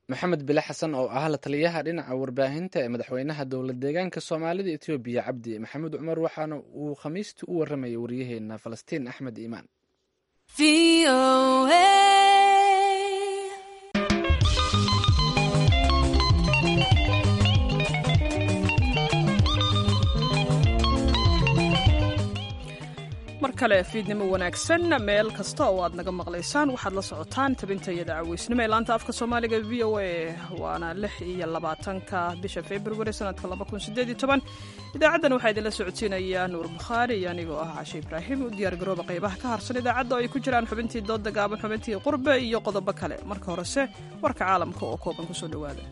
Maxamed Bile Xasan oo ah la taliyaha dhinaca warbaahinta ee madaxweynaha dowlad deegaanka Soomaalida Etoobiya Cabdi Maxamuud Cumar waxaana uu khamiistii u waramayay wariyaheena Falastiin Axmed Iimaan. Mar kale fiidnimo wanaagsan meel kasta oo aad naga maqlaysaan. Waxaad la socotaan tabintayada caweysnimo ee laanta afka Soomaaliga v o a, waana 26-ka bisha Februari sanadka 2018. Idaacaddan waxaa idinla socodsiinaya Nuur Bukhaari iyo anigoo ah Cashe Ibraahim. U diyaar garooba qaybaha ka harsan idaacadda oo ay ku jiraan xubintii dooda gaaban, xubintii qurbe iyo qodobo kale. Marka horese warka caalamka oo kooban kusoo dhowaada.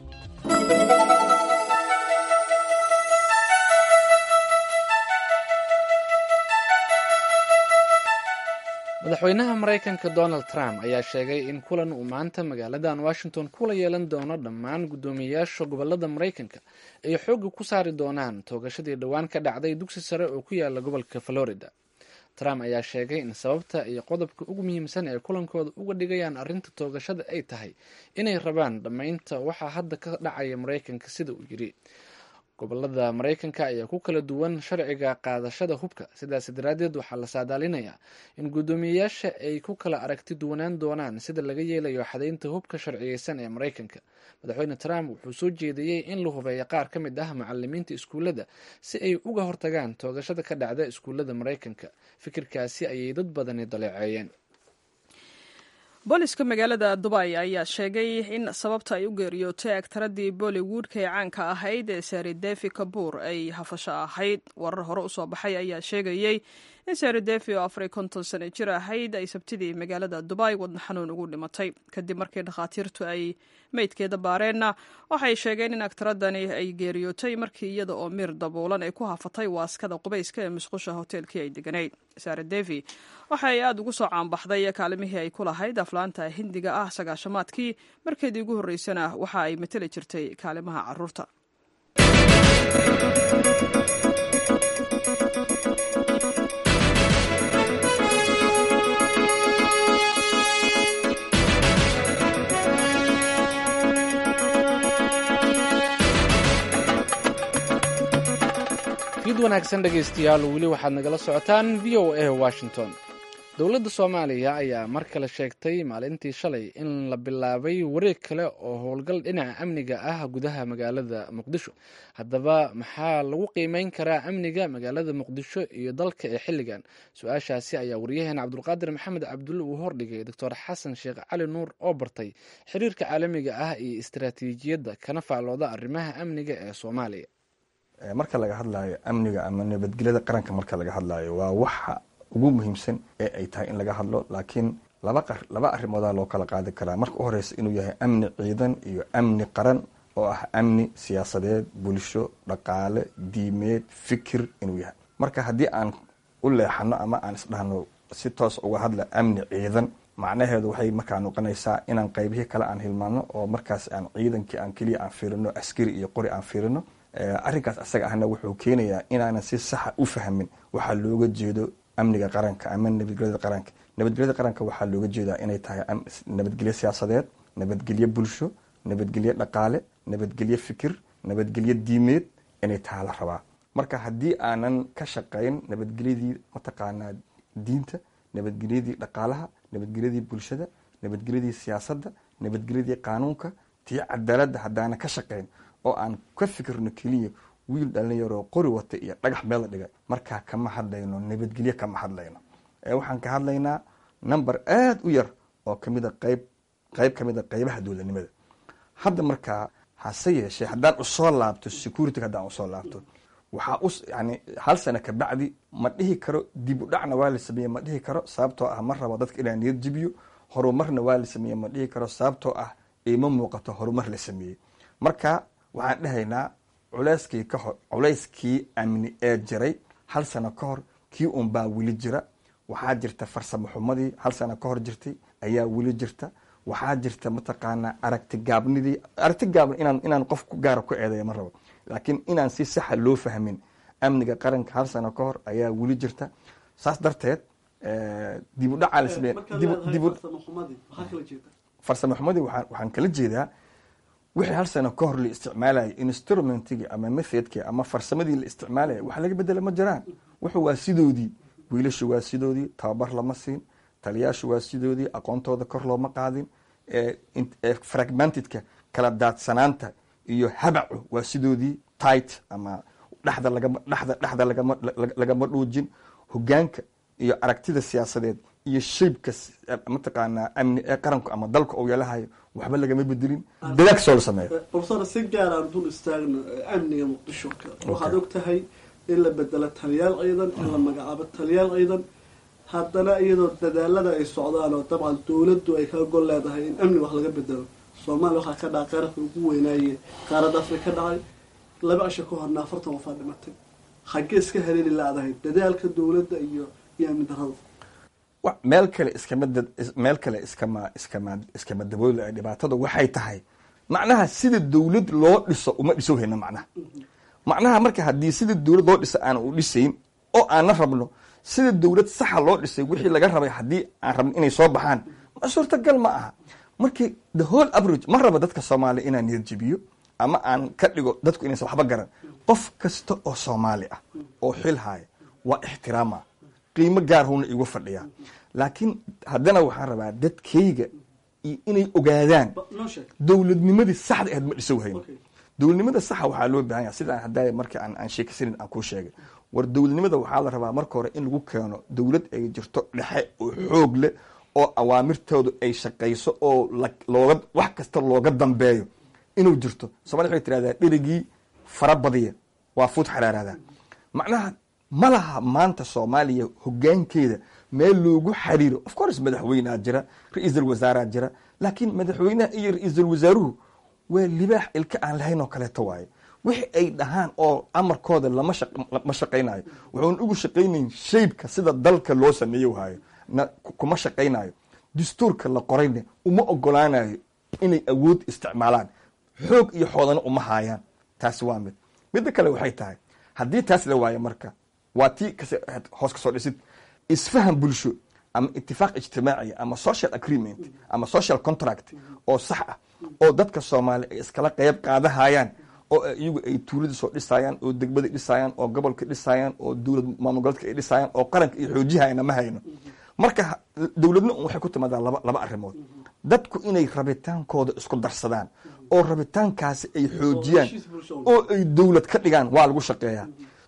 Madaxweynaha Maraykanka Donald Trump ayaa sheegay in kulan uu maanta magaaladan Washington kula yeelan doono dhammaan guddoomiyeyaasha gobolada Maraykanka ay xoogga ku saari doonaan toogashadii dhowaan ka dhacday dugsi sare oo ku yaala gobolka Florida. Trump ayaa sheegay in sababta iyo qodobka ugu muhiimsan ee kulankooda uga dhigayaan arrinta toogashada ay tahay inay rabaan dhammaynta waxaa hadda ka dhacaya Maraykanka, sida uu yiri. Gobolada Maraykanka ayaa ku kala duwan sharciga qaadashada hubka, sidaas daraaddeed waxaa la saadaalinayaa in guddoomiyeyaasha ay ku kala aragti duwanaan doonaan sida laga yeelayo xadaynta hubka sharciyeysan ee Maraykanka. Madaxweyne Trump wuxuu soo jeediyey in la hubeeyo qaar ka mid ah macalimiinta iskuullada si ay uga hortagaan toogashada ka dhacda iskuullada Maraykanka. Fikirkaasi ayay dad badani daleeceeyeen. Booliska magaalada Dubay ayaa sheegay in sababta ay u geeriyootay agtaradii Bollywoodka ee caanka ahayd ee Sari Devi Kabuur ay hafasho ahayd. Warar hore usoo baxay ayaa sheegayey in Sari Devi oo 54 sano jir ahayd ay Sabtidii magaalada Dubay wadna xanuun ugu dhimatay. Kadib markii dhakhaatiirtu ay meydkeeda baareenna waxay sheegeen in agtaradani ay geeriyootay markii iyada oo miir daboolan ay ku hafatay waaskada qubayska ee musqusha hoteelkii ay deganayd. Sara Devi waxa ay aada ugu soo caanbaxday kaalimihii ay ku lahayd aflaanta Hindiga ah sagaashamaadkii. Markeedii ugu horreysana waxa ay mateli jirtay kaalimaha carruurta. Fiid wanaagsan dhegaystayaal, weli waxaad nagala socotaan v o a Washington. Dowladda Soomaaliya ayaa mar kale sheegtay maalintii shalay in la bilaabay wareeg kale oo howlgal dhinaca amniga ah gudaha magaalada Muqdisho. Haddaba maxaa lagu qiimeyn karaa amniga magaalada Muqdisho iyo dalka ee xilligan? Su-aashaasi ayaa waryaheena Cabdulqaadir Maxamed Cabdulle uu hordhigay Doctor Xasan Sheekh Cali Nuur oo bartay xiriirka caalamiga ah iyo istaraatiijiyadda kana faallooda arrimaha amniga ee Soomaaliya. Marka laga hadlaayo amniga ama nabadgelyada qaranka, marka laga hadlaayo waa waxa ugu muhiimsan ee ay tahay in laga hadlo, laakiin laba arrimoodaa loo kala qaadi karaa. Marka u horeysa inuu yahay amni ciidan iyo amni qaran oo ah amni siyaasadeed, bulsho, dhaqaale, diimeed, fikir inuu yahay. Marka haddii aan u leexano ama aan isdhahno si toos uga hadla amni ciidan, macnaheedu waxay markaa noqonaysaa inaan qaybihii kale aan hilmaano, oo markaas aan ciidankii aan keliya aan fiirino, askari iyo qori aan fiirino. Arrinkaas asaga ahna wuxuu keenayaa inaanan si saxa u fahmin waxaa looga jeedo amniga qaranka ama nabadgelyada qaranka. Nabadgelyada qaranka waxaa looga jeedaa inay tahay nabadgelyo siyaasadeed, nabadgelyo bulsho, nabadgelyo dhaqaale, nabadgelyo fikir, nabadgelyo diimeed inay tahay la rabaa. Marka haddii aanan ka shaqayn nabadgelyadii mataqaanaa diinta, nabadgelyadii dhaqaalaha, nabadgelyadii bulshada, nabadgelyadii siyaasadda, nabadgelyadii qaanuunka, tii cadaaladda, haddaanan ka shaqayn oo aan ka fikirno keliya wiil dhalinyaroo qori wata iyo dhagax meel la dhigay, markaa kama hadlayno nabadgelyo, kama hadlayno. Waxaan ka hadlaynaa number aada u yar oo kamida qayb qayb kamida qaybaha dowladnimada hadda. Markaa hase yeeshee, haddaan usoo laabto security, haddaan usoo laabto, waxaa u yani hal sano kabacdi ma dhihi karo dib u dhacna waa la sameeye, ma dhihi karo, sababtoo ah ma rabo dadka inaan niyad jibiyo. Horumarna waa la sameeye ma dhihi karo, sababtoo ah ima muuqato horumar la sameeyey. Marka waxaan dhahaynaa culeyskii ka hor, culayskii amni ee jiray hal sano ka hor kii unbaa weli jira. Waxaa jirta farsamo xumadii hal sano ka hor jirtay ayaa weli jirta. Waxaa jirta mataqaanaa aragti gaabnidii, aragti gaabni inaan qof gaara ku eedeeya ma rabo, laakiin inaan si saxa loo fahmin amniga qaranka hal sano ka hor ayaa weli jirta. Saas darteed dib u dhacaa la sameeye. Farsamo xumadii waxaan kala jeedaa wixii hal sano ka hor la isticmaalayay, instrumentigii ama methodkii ama farsamadii la isticmaalaya, wax laga bedela ma jiraan. Wuxuu waa sidoodii, wiilashu waa sidoodii, tababar lama siin, taliyaashu waa sidoodii, aqoontooda kor looma qaadin, fragmentedka, kala daadsanaanta iyo habacu waa sidoodii, tight ama dhexda lagama dhexda dhexda lagama lagama dhuujin. Hogaanka iyo aragtida siyaasadeed iyo shaybka mataqaanaa amni ee qaranku ama dalka uu yeelahayo waxba lagama bedelin, dadaag soo la sameeyo. Professor, si gaar aan dul istaagno amniga Muqdisho. Waxaad og tahay in la bedelo taliyaal ciidan, in la magacaabo taliyaal ciidan, haddana iyadoo dadaalada ay socdaan oo dabcan dowladdu ay kaga gol leedahay in amni wax laga bedelo, Soomaaliya waxaa ka dhacay qararka ugu weynaaye qaaradda Afrika ka dhacay 2 cisho ka horna, 40 qofaa dhimatay. Xaggee iska haleeli laadahay dadaalka dowladda iyo amni darrada? Meel kale iskama meel kale iskama dabooli. Dhibaatada waxay tahay macnaha sida dowlad loo dhiso uma dhiso hayno. Macnaha marka haddii sida dowlad loo dhiso aan u dhisayn oo aanna rabno sida dowlad saxa loo dhisay wixii laga rabay, haddii aan rabno inay soo baxaan, ma suurtagal ma aha. Markii the whole average, ma rabo dadka Soomaaliya inaan niyad jibiyo ama aan ka dhigo dadku inaysan waxba garan. Qof kasta oo Soomaali ah oo xil haaya waa ixtiraama, qiimo gaar huna igu fadhiyaa, laakiin haddana waxaan rabaa dadkayga iyo inay ogaadaan dowladnimadii saxda ahayd ma dhisow hayno. Dowladnimada saxa waxaa loo baahan yahay sidaan haddaaya marka aan sheekaysanin aan kuu sheegay. War dowladnimada waxaa la rabaa marka hore in lagu keeno dowlad ay jirto dhexe oo xoog leh oo awaamirtoodu ay shaqayso oo looga wax kasta looga dambeeyo inuu jirto. Somalia waxay tirahdaa dherigii fara badiya waa fuud xaraaraada. Macnaha ma laha maanta Soomaaliya hogaankeeda meel loogu xariiro. Of course madaxweynea jira, ra-iisul wasaaraa jira, laakiin madaxweynaha iyo ra-iisul wasaaruhu waa libaax ilka aan lahayn oo kaleeto waaye. Wixii ay dhahaan oo amarkooda lama shaqaynayo. Wuxuun ugu shaqaynayn shaybka sida dalka loo sameeyo hayo na kuma shaqaynayo. Dastuurka la qorayna uma ogolaanayo inay awood isticmaalaan, xoog iyo xoodana uma haayaan. Taasi waa mid. Midda kale waxay tahay haddii taas la waayo, marka waa tii hoos ka soo dhisid isfaham bulsho ama itifaaq ijtimaaciya ama social agreement ama social contract oo sax ah oo dadka Soomaaliya ay iskala qeyb qaadahayaan, oo iyagu ay tuulada soo dhisayaan oo degmada dhisayaan oo gobolka dhisayaan oo dowlad maamul goboleedka ay dhisayaan oo qaranka iyo xoojihayana ma hayno. Marka dowladna waxay ku timaadaa laba arrimood: dadku inay rabitaankooda isku darsadaan oo rabitaankaasi ay xoojiyaan oo ay dowlad ka dhigaan, waa lagu shaqeeyaa.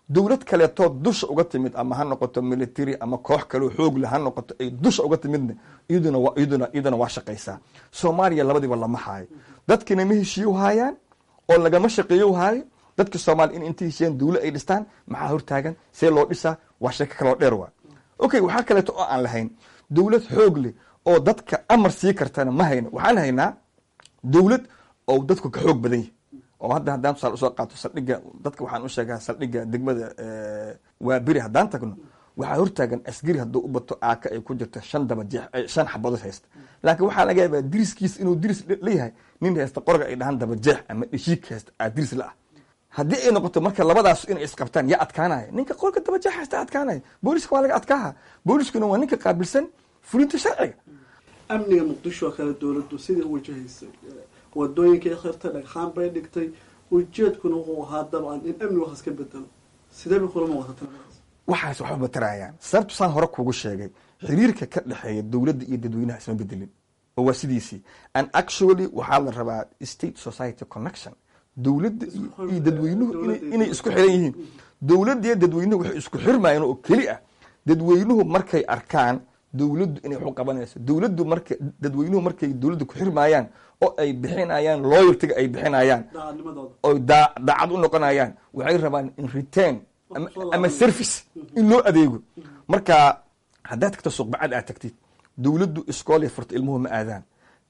Dowlad kaleetoo dusha uga timid, ama ha noqoto military ama koox kaleo xoog leh ha noqoto, ay dusha uga timidna, iyaduna waa shaqaysaa. Soomaaliya labadiiba lama haayo. Dadkina ma heshiiyo haayaan oo lagama shaqeeyo haayo. Dadka Soomaaliya in intay heshiiyaan dowlad ay dhistaan maxaa hortaagan? See loo dhisaa? Waa sheeko kaloo dheer waa. Okay, waxaa kaleeto oo aan lahayn dowlad xoog leh oo dadka amar sii kartana ma hayno. Waxaan haynaa dowlad oo dadku ka xoog badan yahay. Oo hadda haddaan tusaale usoo qaato saldhigga, dadka waxaan u sheegaa saldhigga degmada Waaberi haddaan tagno, waxaa hortaagan askari hadduu u bato aaka ay ku jirto shan dabajeex, shan xabadood haysta. Laakiin waxaa laga yaabaa diriskiis inuu diris leeyahay nin haysta qorga ay dhahaan dabajeex ama dheshiik haysta aa diris la ah. Haddii ay noqoto marka labadaas inay isqabtaan, yaa adkaanaya? Ninka qorga dabajeex haysta adkaanaya. Booliska waa laga adkaaha. Booliskuna waa ninka qaabilsan fulinta sharciga. Amniga Muqdisho oo kale, dowladdu sidai u wajahaysay, wadooyinka ay xirtay, dhagxaan bay dhigtay, ujeedkuna wuxuu ahaa dabcan in amni waxaas ka bedelo. Sidee bay kula muuqata taladaas? Waxaas waxba matarayaan, sababtu saan hore kuugu sheegay, xiriirka ka dhexeeya dowladda iyo dadweynaha isma bedelin oo waa sidiisii. And actually waxaa la rabaa state society connection, dowladda iyo dadweynuhu inay isku xiran yihiin. Dowladda iyo dadweynuhu waxay isku xirmayaan oo keli ah dadweynuhu markay arkaan dowladdu inay wax u qabanayso. Dowladdu marka, dadweynuhu markay dowladda ku xirmayaan oo ay bixinayaan loyaltyga, ay bixinayaan oo daacad u noqonayaan, waxay rabaan in return ama service in loo adeego. Marka haddaad tagto Suuqbacad aad tagtid, dowladdu iskoolay furta, ilmuhu ma aadaan.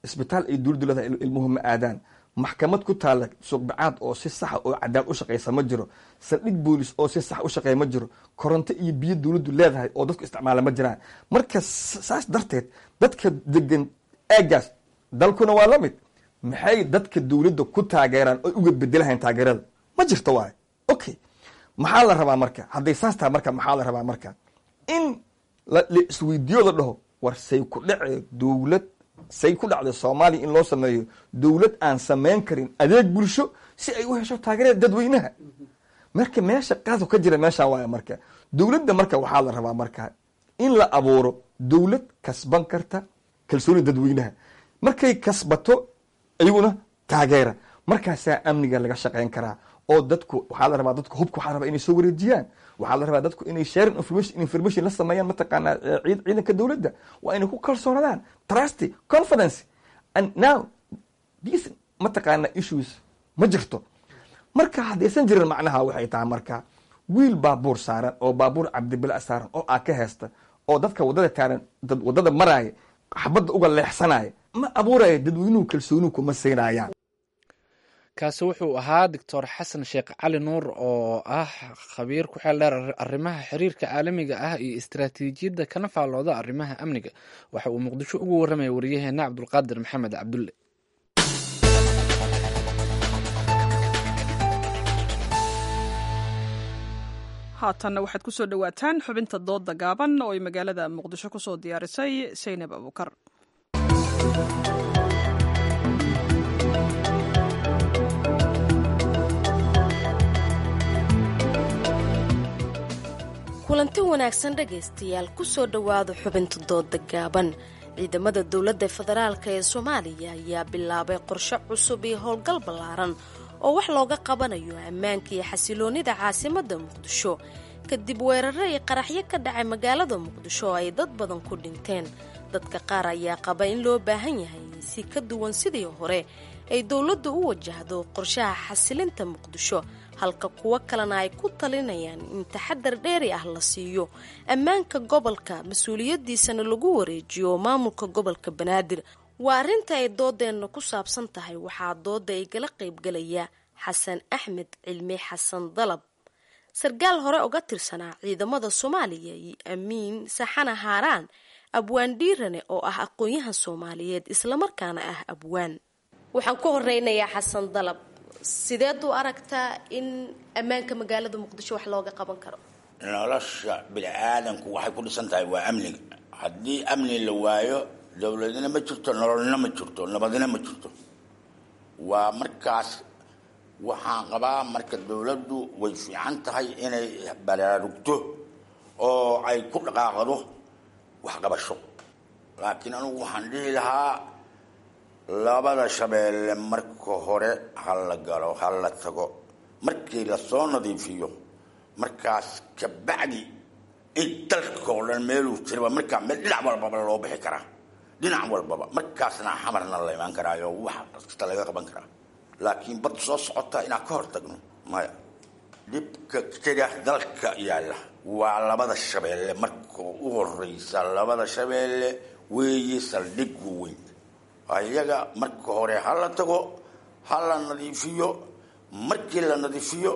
Isbitaal ay dowladdu leedahay, ilmuhu ma aadaan. Maxkamad ku taala Suuqbacaad oo si saxa oo cadaalad u shaqeysa ma jiro. Saldhig boolis oo si sax u shaqeeya ma jiro. Koronto iyo biyo dowladdu leedahay oo dadku isticmaala ma jiraan. Marka saas darteed dadka degan aagaas, dalkuna waa la mid, maxay dadka dowladda ku taageeraan oo uga bedelahayn? Taageerada ma jirto waayo. Okay, maxaa la rabaa marka hadday saas tahay? Marka maxaa la rabaa marka? In la isweydiiyo, la dhaho: war, say ku dhacee dowlad, say ku dhacday Soomaaliya in loo sameeyo dowlad aan samayn karin adeeg bulsho si ay u hesho taageerada dadweynaha? Marka meesha qaadku ka jira meeshaa waaya. Marka dowladda marka waxaa la rabaa marka in la abuuro dowlad kasban karta kalsoonida dadweynaha. Markay kasbato, iyaguna taageera, markaasaa amniga laga shaqeyn karaa. Oo dadku waxaa la rabaa, dadku hubka waxaa la rabaa inay soo wareejiyaan. Waxaa la rabaa dadku inay sharing information la sameeyaan, mataqaanaa, ciidanka dowladda. Waa inay ku kalsoonaadaan, trust, confidence. And now these, mataqaanaa, issues ma jirto. Marka haddaysan jirin, macnaha waxay tahay marka wiil baabuur saaran oo baabuur Cabdibila saaran oo aa ka haysta oo dadka waddada taaran, dad waddada maraaya xabadda uga leexsanaya, ma abuuraya dadweynuhu kalsoonihu kuma siinayaan. Kaasi wuxuu ahaa Doctor Xasan Sheekh Cali Nuur oo ah khabiir ku xeel dheer arrimaha xiriirka caalamiga ah iyo istaraatiijiyadda, kana faallooda arrimaha amniga. Waxa uu Muqdisho ugu warramaya wariyaheena Cabdulqaadir Maxamed Cabdulle. Haatanna waxaad ku soo dhowaataan xubinta doodda gaaban oo ay magaalada Muqdisho ku soo diyaarisay Saynab Abuukar. Kulanti wanaagsan dhegaystayaal, kusoo dhowaada xubinta dooda gaaban. Ciidamada dowladda federaalka ee Soomaaliya ayaa bilaabay qorshe cusub iyo howlgal ballaaran oo wax looga qabanayo ammaanka iyo xasiloonnida caasimadda Muqdisho, kadib weeraro iyo qaraxyo ka dhacay magaalada Muqdisho oo ay dad badan ku dhinteen. Dadka qaar ayaa qaba in loo baahan yahay in si ka duwan sidii hore ay dowladdu u wajahdo qorshaha xasilinta Muqdisho, halka kuwo kalena ay ku talinayaan in taxadar dheeri ah la siiyo ammaanka gobolka, mas-uuliyadiisana lagu wareejiyo maamulka gobolka Banaadir. Waa arrinta ay doodeenna ku saabsan tahay. Waxaa dooda igala qaybgalaya Xasan Axmed Cilmi, Xasan Dalab, sarkaal hore uga tirsanaa ciidamada Soomaaliya, iyo Amiin Saxana Haaraan, abwaan dhiirane oo ah aqoon-yahan Soomaaliyeed islamarkaana ah abwaan. Waxaan ku horeynayaa Xasan Dalab. Sideed u aragtaa in ammaanka magaalada Muqdisho wax looga qaban karo? Nolosha bini-aadanku waxay ku dhisan tahay waa amniga. Haddii amni la waayo, dowladna ma jirto, nololna ma jirto, nabadna ma jirto. Waa markaas waxaan qabaa marka dowladdu way fiican tahay inay baraarugto oo ay ku dhaqaaqdo waxqabasho, laakiin anugu waxaan dhihi lahaa labada shabeelle marka hore ha la galo, ha la tago. Markii lasoo nadiifiyo, markaas kabacdi in dalka oo dhan meeluu jiraba markaa meel dhinac walbaba loo bixi karaa, dhinac walbaba markaasna Xamarna la imaan karaayo, wax kasta laga qaban karaa. Laakiin bad soo socota inaan ka hor tagno maya. Dhibka jira dalka yaalla waa labada shabeelle. Marka u horeysa labada shabeelle weeye saldhiggu weyn. Ayaga marka hore ha la tago, ha la nadiifiyo. Markii la nadiifiyo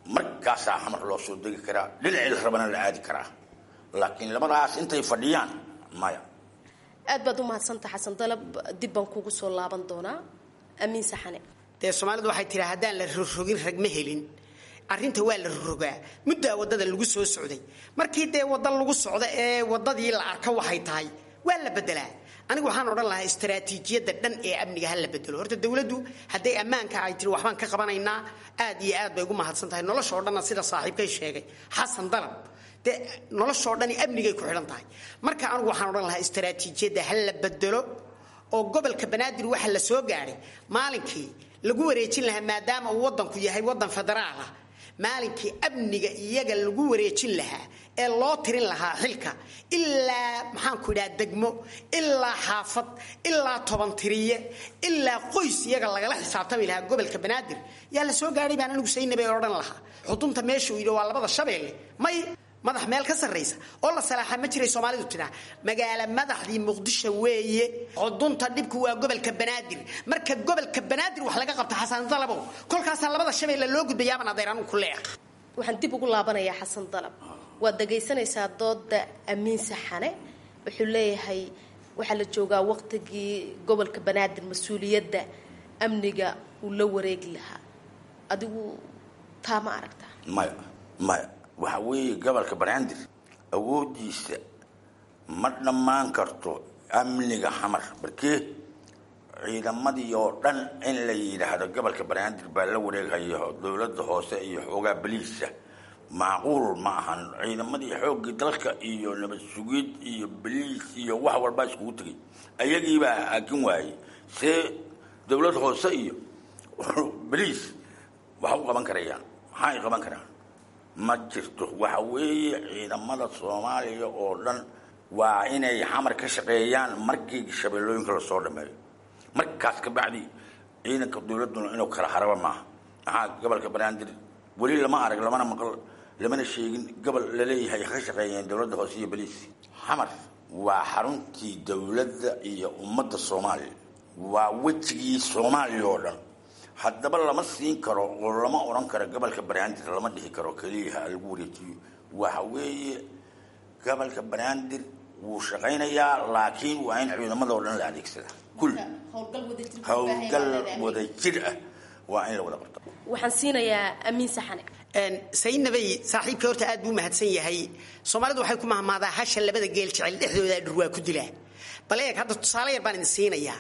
markaasaa Xamar loo soo degi karaa, dhinacii la rabana la aadi karaa, laakiin labadaas intay fadhiyaan maya. Aad baad u mahadsanta Xasan Dalab, dib baan kugu soo laaban doonaa. Amiin Saxane. Dee Soomaalidu waxay tiraa haddaan la rogrogin rag ma helin. Arrinta waa la rogrogaa, muddaa waddada lagu soo socday. Markii dee wadda lagu socda ee waddadii la arka waxay tahay, waa la bedelaa. Anigu waxaan odhan lahaa istaraatiijiyadda dhan ee amniga ha la bedelo. Horta dowladdu hadday ammaanka ay tiri waxbaan ka qabanaynaa, aad iyo aad bay ugu mahadsan tahay. Nolosha oo dhanna, sida saaxiibkay sheegay Xasan Dalab, dee noloshoo dhani amnigay ku xidhan tahay. Marka anigu waxaan odhan lahaa istaraatiijiyadda ha la bedelo, oo gobolka Banaadir waxa la soo gaadhay maalinkii lagu wareejin lahaa, maadaama uu waddanku yahay waddan federaal ah, maalinkii amniga iyaga lagu wareejin lahaa ee loo tirin lahaa xilka, ilaa maxaanku idhaha degmo, ilaa xaafad, ilaa toban tiriye, ilaa qoys iyaga lagala xisaabtami lahaa gobolka Banaadir yaa la soo gaadhay baan anigu Saynabay odhan lahaa. Xudunta meesha uu yidhi waa labada Shabeelle, may madax meel ka sarraysa oo la salaaxa ma jiray. Soomaalidu tidhaa magaalo madaxdii Muqdisho weeye, xudunta dhibku waa gobolka Banaadir. Marka gobolka Banaadir wax laga qabta, Xasan Dalabow, kolkaasaa labada Shabeelle loo gudbayaaban adeer anugu ku leeq. Waxaan dib ugu laabanayaa Xasan Dalab. Waad dhagaysanaysaa dooda Amiin Saxane. Wuxuu leeyahay waxaa la joogaa waqtigii gobolka Banaadir mas-uuliyadda amniga uu la wareegi lahaa. Adigu taa ma aragtaa? Maya, maya. Waxa weeye gobolka Banaadir awooddiisa ma dhammaan karto amniga Xamar. Barkee ciidamadii oo dhan in la yidhaahdo gobolka Banaadir baa la wareeghayo, dowladda hoose iyo xoogaa baliisa, macquul ma ahan. Ciidamadii xooggii dalka iyo nabad sugid iyo baliis iyo wax walbaa iskugu tegay, ayagiibaa aakin waayey. See dowlad hoose iyo baliis wax u qaban karayaan? Maxay qaban karaan? Ma jirto. Waxa weeye ciidamada Soomaaliya oo dhan waa inay Xamar ka shaqeeyaan markii shabeellooyinka lasoo dhameeyo. Markaas ka bacdi ciidanka dowladduna inuu kala haraba maaha. Maxaa gobolka Banaadir weli lama arag, lamana maqal, lamana sheegin gobol laleeyahay ka shaqeeyeen dowladda hoose iyo baliis. Xamar waa xaruntii dowladda iyo ummadda Soomaaliya, waa wejigii Soomaaliya oo dhan. Haddaba lama siin karo oo lama odhan karo gobolka Banaadir, lama dhihi karo keliya ha lagu wareejiyo. Waxa weeye gobolka Banaadir wuu shaqaynayaa, laakiin waa in ciidamada oo dhan la adeegsadaa, kul howlgal wadajir ah waa in la wada qabto. Waxaan siinayaa Amiin Saxane. Saynabay, saaxiibka horta aad buu mahadsan yahay. Soomaalidu waxay ku mahmaadaa hasha labada geel jecel dhexdooda dhur waa ku dilaa. Bal eeg hadda, tusaale yar baan idin siinayaa.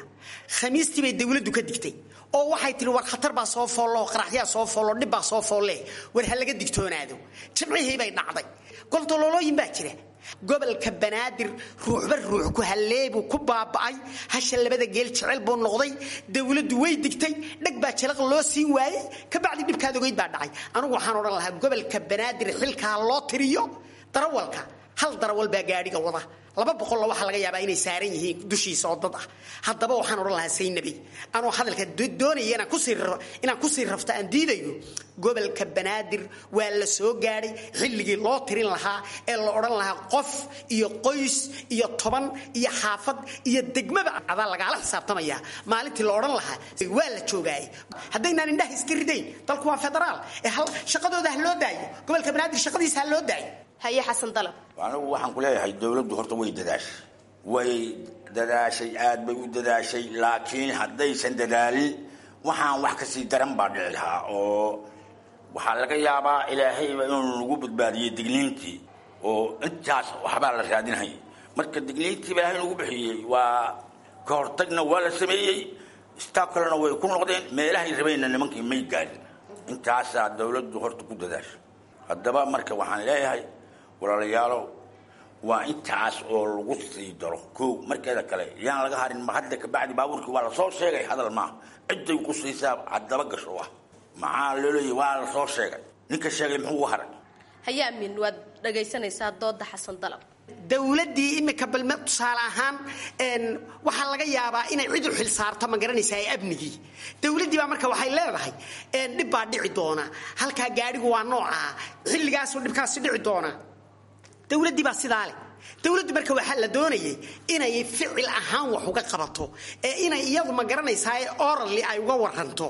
Khamiistii bay dowladdu ka digtay oo waxay tihi war khatar baa soo foollo, qaraxyaa soo foollo, dhib baa soo foolle, war ha laga digtoonaado. Jimcihii bay dhacday. Goltololooyin baa jira. Gobolka Banaadir ruuxba ruux ku halleebuu ku baaba'ay, hasha labada geel jecel buu noqday. Dowladdu way digtay, dheg baa jalaq loo siin waayey, kabacdi dhibkaad ogeyd baa dhacay. Anigu waxaan odhan lahaa gobolka Banaadir xilkaa loo tiriyo. Darawalka, hal darawal baa gaadhiga wada, 200-la waxaa laga yaabaa inay saaran yihiin dushiisa oo dad ah. Haddaba waxaan odhan lahaa Saynabi, anuu hadalka doonaya inaan kusii rafto aan diidayo, gobolka Banaadir waa la soo gaadhay xilligii loo tirin lahaa ee la odhan lahaa qof iyo qoys iyo toban iyo xaafad iyo degmaba adaa lagaala xisaabtamaya. Maalintii la odhan lahaa waa la joogaayay. Haddaynaan indhaha iska ridayn, dalku waa federaal ee shaqadooda ha loo daayo, gobolka Banaadir shaqadiisa ha loo daayo. Haye Xasan Dalab. Anigu waxaan ku leeyahay dowladdu horta way dadaashay, way dadaashay, aad bay u dadaashay, laakiin haddaysan dadaalin waxaan wax kasii daran baa dhici lahaa, oo waxaa laga yaabaa Ilaahayba inuu nagu badbaadiyey digniintii oo intaas waxbaa la raadinhayay. Marka digniintii ba Ilaahay nagu bixiyey, waa ka hortagna waa la sameeyey, istaab kalena way ku noqdeen, meelahay rabeenna nimankii may gaarin. Intaasaa dowladdu horta ku dadaashay. Haddaba marka waxaan leeyahay walaalayaalow, waa intaas oo lagu sii daro kow. Markeeda kale yaan laga harin. Ma hadda kabacdi baabuurkii waa lasoo sheegay, hadal maaha, ciday ku siisaa haddaba gasho ah. Maxaa loo leeyahy waa lasoo sheegay? Ninka sheegay muxuu uga haray? Haye Amiin, waad dhagaysanaysaa dooda Xasan Dalab. Dowladdii imika balme tusaale ahaan waxaa laga yaabaa inay cid u xil saarto, ma garanaysaa, ee amnigii dowladdii baa marka waxay leedahay dhib baa dhici doona halkaa, gaadhigu waa noocaa, xilligaasuu dhibkaasi dhici doona. Dowladdii baa sidaa leh. Dowladdu marka waxaa la doonayay inay ficil ahaan wax uga qabato ee inay iyadu, ma garanaysaa, orally ay uga waranto.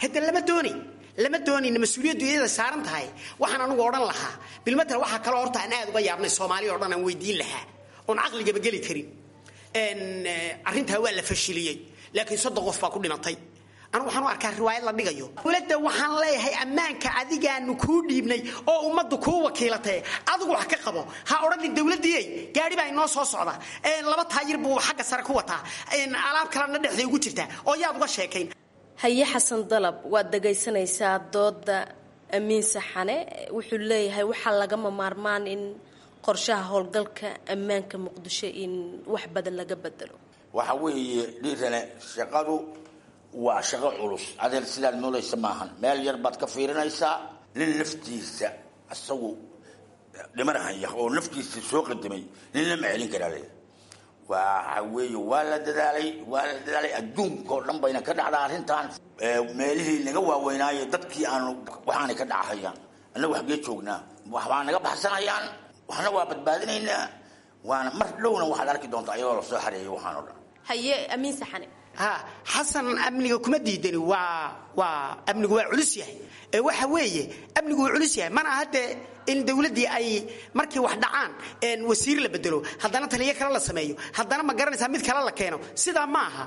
Hadda lama doonay, lama doonayna, mas-uuliyaddu iyada saaran tahay. Waxaan anugu odhan lahaa bilmatal, waxaa kaloo horta aan aad uga yaabnay, Soomaali oo dhan aan weydiin lahaa oon caqligaba geli karin, arrintaa waa la fashiliyey, laakiin 30 qof baa ku dhimatay. Anigu waxaan u arkaa riwaayad la dhigayo. Dowladda waxaan leeyahay, ammaanka adigaanu kuu dhiibnay oo ummaddu kuu wakiilatay, adigu wax ka qabo. Ha odhanin dowladdiiyey gaadhi baa inoo soo socda, laba taayir buu xagga sare ku wataa, alaab kalena dhexday ugu jirtaa, oo yaad uga sheekayn. Haye Xasan Dalab, waad dhagaysanaysaa dooda Amiin Saxane. Wuxuu leeyahay waxaa lagama maarmaan in qorshaha howlgalka ammaanka Muqdisho in wax badan laga bedelo. Waxa weeye dhiirane, shaqadu waa shaqo culus, adeer, sidaad moodaysa maahan. Meel yar baad ka fiirinaysaa. Nin naftiisa isagu dhimanahaya oo naftiisa soo qadimay ninna ma celin karaa leeyahay. Waxa weeye waa la dadaalay, waa la dadaalay. Adduunka oo dhan bayna ka dhacdaa arrintan. Meelihii naga waaweynaaye dadkii aanu waxaanay ka dhacahayaan, annagu xaggee joognaa? Waxbaa naga baxsanayaan, waxna waa badbaadinaynaa, waana mar dhowna waxaad arki doontaa iyadoo lasoo xareeyay waxaan oo dhan. Haye Amiin Saxane. Ha, Xasan, amniga kuma diidani. Waa amnigu waa culus yahay. Ee waxa weeye amnigu waa culus yahay, mana aha dee in dowladdii ay markii wax dhacaan wasiir la bedelo, haddana taliyo kale la sameeyo, haddana ma garanaysaa mid kale la keeno. Sidaa ma aha.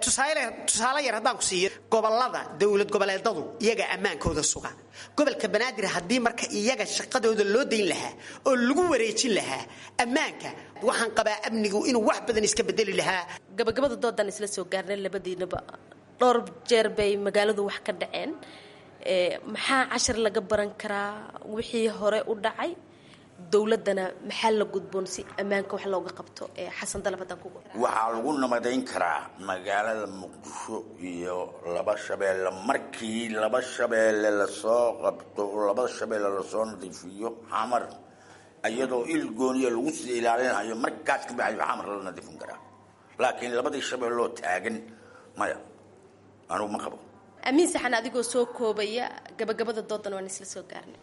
Tusaale yar haddaan ku siiyo, gobollada dowlad goboleedadu iyaga ammaankooda suga. Gobolka Banaadir haddii marka iyaga shaqadooda loo dayn lahaa oo lagu wareejin lahaa ammaanka, waxaan qabaa amnigu inuu wax badan iska bedeli lahaa. Gabagabada doodan isla soo gaarnay. Labadiinaba dhowr jeer bay magaaladu wax ka dhaceen. Maxaa cashar laga baran karaa wixii hore u dhacay? Dowladdana maxaa la gudboon si ammaanka wax looga qabto? Xasan Dalab haddaan kugu. Waxaa lagu nabadayn karaa magaalada Muqdisho iyo laba shabeelle markii laba shabeelle lasoo qabto oo laba shabeelle lasoo nadiifiyo, Xamar iyadoo il gooniya lagu sii ilaalinayo, markaas ka baxayo Xamar la nadiifin karaa. Laakiin labadii shabeelloo taagan, maya, anugu ma qabo. Amiin Saxan, adigoo soo koobaya, gabagabada doodan waan isla soo gaarnay.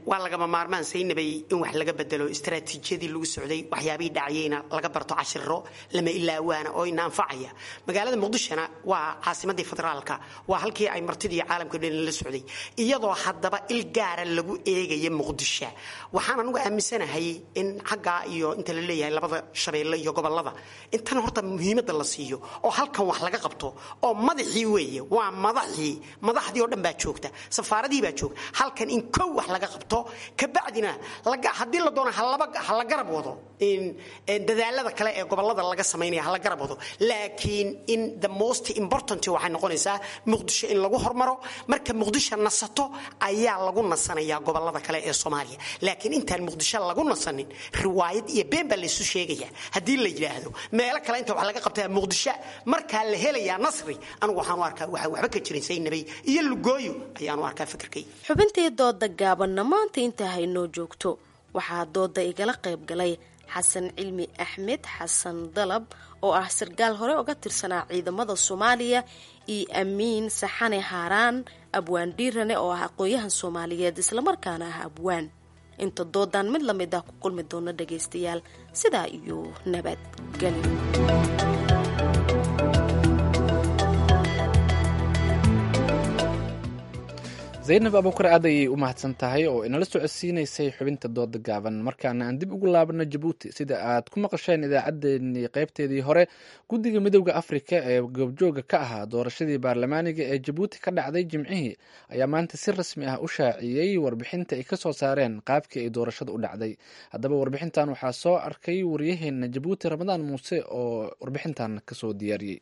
Waa lagama maarmaan, Saynabay, in wax laga bedelo istaraatiijiyadii lagu socday, waxyaabihii dhacayeyna laga barto cashiro lama ilaawaana oo ina anfacaya. Magaalada Muqdishona waa caasimadii federaalka, waa halkii ay martidii caalamka dhan la socday, iyadoo haddaba il gaara lagu eegaya Muqdisho. Waxaan anugu aaminsanahay in xaggaa iyo inta la leeyahay labada shabeelle iyo gobolada intan horta muhiimadda la siiyo oo halkan wax laga qabto, oo madaxii weeye, waa madaxii, madaxdii oo dhan baa joogta, safaaradii baa joogta halkan, in kow wax laga qabto, kabacdina haddii la doono ha la garab wado in dadaalada kale ee gobolada laga samaynaya, ha la garab wado. Laakiin in the most important waxay noqonaysaa Muqdisho in lagu hormaro. Marka Muqdisho nasato ayaa lagu nasanayaa gobolada kale ee Soomaaliya. Laakiin intaan Muqdisho lagu nasanin, riwaayad iyo been baa laysu sheegaya haddii la yidhaahdo meelo kale inta wax laga qabtaa Muqdisho markaa la helayaa nasri. Anigu waxaan u arkaa waxa waxba ka jirin, Saynabay, iyo lugooyo ayaan u arkaa fikirkay. Xubintii dooda gaabanna maanta intaa haynoo joogto. Waxaa dooda igala qayb galay Xasan Cilmi Axmed, Xasan Dalab, oo ah sarkaal hore uga tirsanaa ciidamada Soomaaliya, iyo Amiin Saxane Haaraan, Abwaan Dhiirane, oo ah aqoon-yahan Soomaaliyeed islamarkaana ah abwaan. Inta doodan mid la mid ah ku kulmi doona, dhagaystayaal, sidaa iyo nabadgelyo. Zaynab Abuukar aad ayay u mahadsan tahay oo inala socodsiinaysay xubinta dooda gaaban. Markaana aan dib ugu laabano Jabuuti. Sida aad ku maqasheen idaacaddeenii qaybteedii hore, guddiga Midowda Afrika ee goobjooga ka ahaa doorashadii baarlamaaniga ee Jabuuti ka dhacday Jimcihii ayaa maanta si rasmi ah u shaaciyey warbixinta ay kasoo saareen qaabkii ay doorashada u dhacday. Haddaba warbixintan waxaa soo arkay waryaheena Jabuuti, Ramadaan Muuse, oo warbixintan kasoo diyaariyey.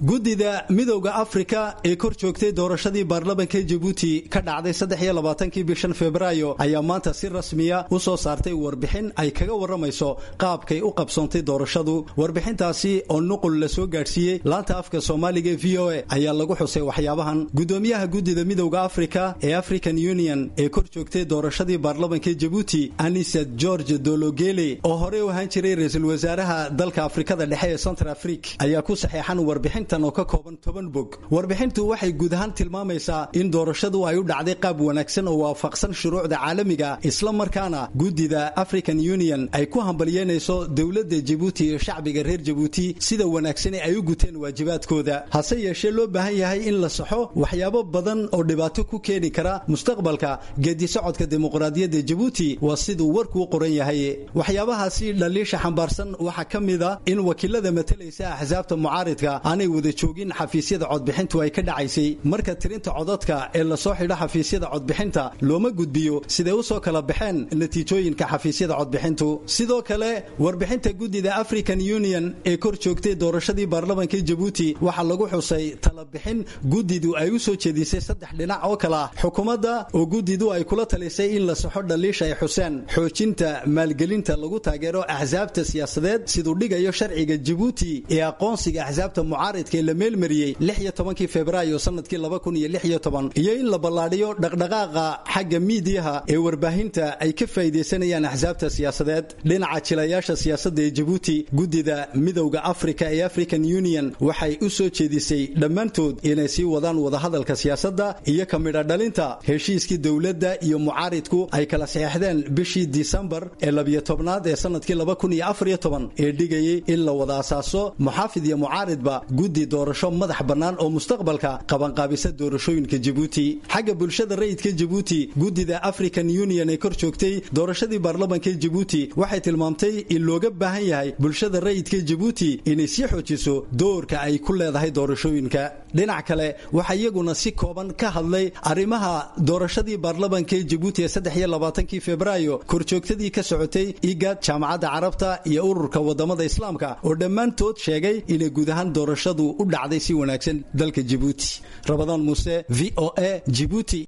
Guddida Midowda Afrika ee kor joogtay doorashadii baarlamanka Jabuuti ka dhacday 23-kii bishan Febraayo ayaa maanta si rasmiya u soo saartay warbixin ay kaga warramayso qaabkay u qabsoontay doorashadu. Warbixintaasi oo nuqul la soo gaadhsiiyey laanta afka Soomaaliga e VOA ayaa lagu xusay waxyaabahan. Guddoomiyaha guddida Midowda Afrika ee African Union ee kor joogtay doorashadii baarlamanka Jabuuti, Anisa George Dologele, oo horey u ahaan jiray ra-iisul wasaaraha dalka Afrikada Dhexe ee Central Afrique, ayaa ku saxeexan warbixin. Warbixintan oo ka kooban 10 bog. Warbixintu waxay guud ahaan tilmaamaysaa in doorashadu ay u dhacday qaab wanaagsan oo waafaqsan shuruucda caalamiga, isla markaana guddida African Union ay ku hambalyeynayso dowladda Jabuuti iyo shacbiga reer Jabuuti sida wanaagsan ay u guteen waajibaadkooda. Hase yeeshee loo baahan yahay in la saxo waxyaabo badan oo dhibaato ku keeni kara mustaqbalka geedi socodka dimuqraadiyadda Jabuuti, waa siduu warkuu qoran yahay. Waxyaabahaasi dhaliisha xambaarsan waxaa ka mid a in wakiilada matalaysa axsaabta mucaaridka aanay wada joogin xafiisyada codbixintu ay ka dhacaysay. Marka tirinta codadka ee lasoo xidho xafiisyada codbixinta, looma gudbiyo siday u soo kala baxeen natiijooyinka xafiisyada codbixintu. Sidoo kale warbixinta guddida African Union ee kor joogtay doorashadii baarlamaanka Jabuuti waxaa lagu xusay talabixin guddidu ay u soo jeedisay saddex dhinac oo kale ah: xukuumadda oo guddidu ay kula talisay in la saxo dhaliisha ay xuseen, xoojinta maalgelinta lagu taageero axsaabta siyaasadeed siduu dhigayo sharciga Jabuuti ee aqoonsiga axsaabta mucaaridka ee la meelmariyey 16kii Febraayo sanadkii 2016, iyo in la ballaadhiyo dhaqdhaqaaqa xagga miidiyaha ee warbaahinta ay ka faa'iidaysanayaan axsaabta siyaasadeed. Dhinaca jilayaasha siyaasadda ee Jabuuti, guddida Midowda Afrika ee African Union waxay u soo jeedisay dhammaantood inay sii wadaan wadahadalka siyaasadda iyo ka midha dhalinta heshiiskii dowladda iyo mucaaridku ay kala saxeexdeen bishii Disembar ee 12aad ee sanadkii 2014 ee dhigayay in la wada asaaso muxaafid iyo mucaaridba guddi doorasho madax bannaan oo mustaqbalka qabanqaabisa doorashooyinka Jabuuti. Xagga bulshada rayidka Jabuuti, guddida African Union ee kor joogtay doorashadii baarlamaanka Jabuuti waxay tilmaamtay in looga baahan yahay bulshada rayidka Jabuuti inay sii xoojiso doorka ay ku leedahay doorashooyinka. Dhinac kale waxaa iyaguna si kooban ka hadlay arrimaha doorashadii baarlamaanka Jabuuti ee 23kii Febraayo korjoogtadii ka socotay IGAD, Jaamacadda Carabta iyo ururka wadamada Islaamka oo dhammaantood sheegay inay guud ahaan doorashadu u dhacday si wanaagsan dalka Jabuuti. Rabadaan Muuse, VOA, Jabuuti.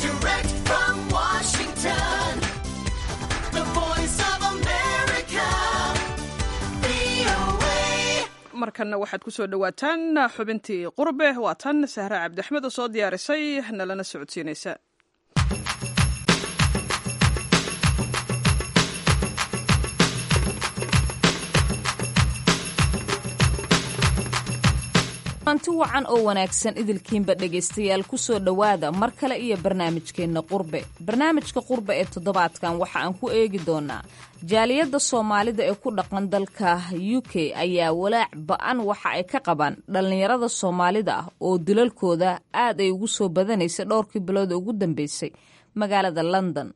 Direct from Washington, the voice of America, VOA. Markanna waxaad ku soo dhowaataan xubintii Qurbe. Waa tan Sahre Cabdiaxmed oo soo diyaarisay nalana socodsiinaysa. Anti wacan oo wanaagsan idilkiinba dhegaystayaal, ku soo dhowaada mar kale iyo barnaamijkeenna Qurbe. Barnaamijka Qurbe ee toddobaadkan waxa aan ku eegi doonaa jaaliyadda Soomaalida ee ku dhaqan dalka UK ayaa walaac ba-an waxa ay ka qabaan dhallinyarada Soomaalida ah oo dilalkooda aad ay ugu soo badanaysay dhowrkii bilood ugu dambeysay magaalada London.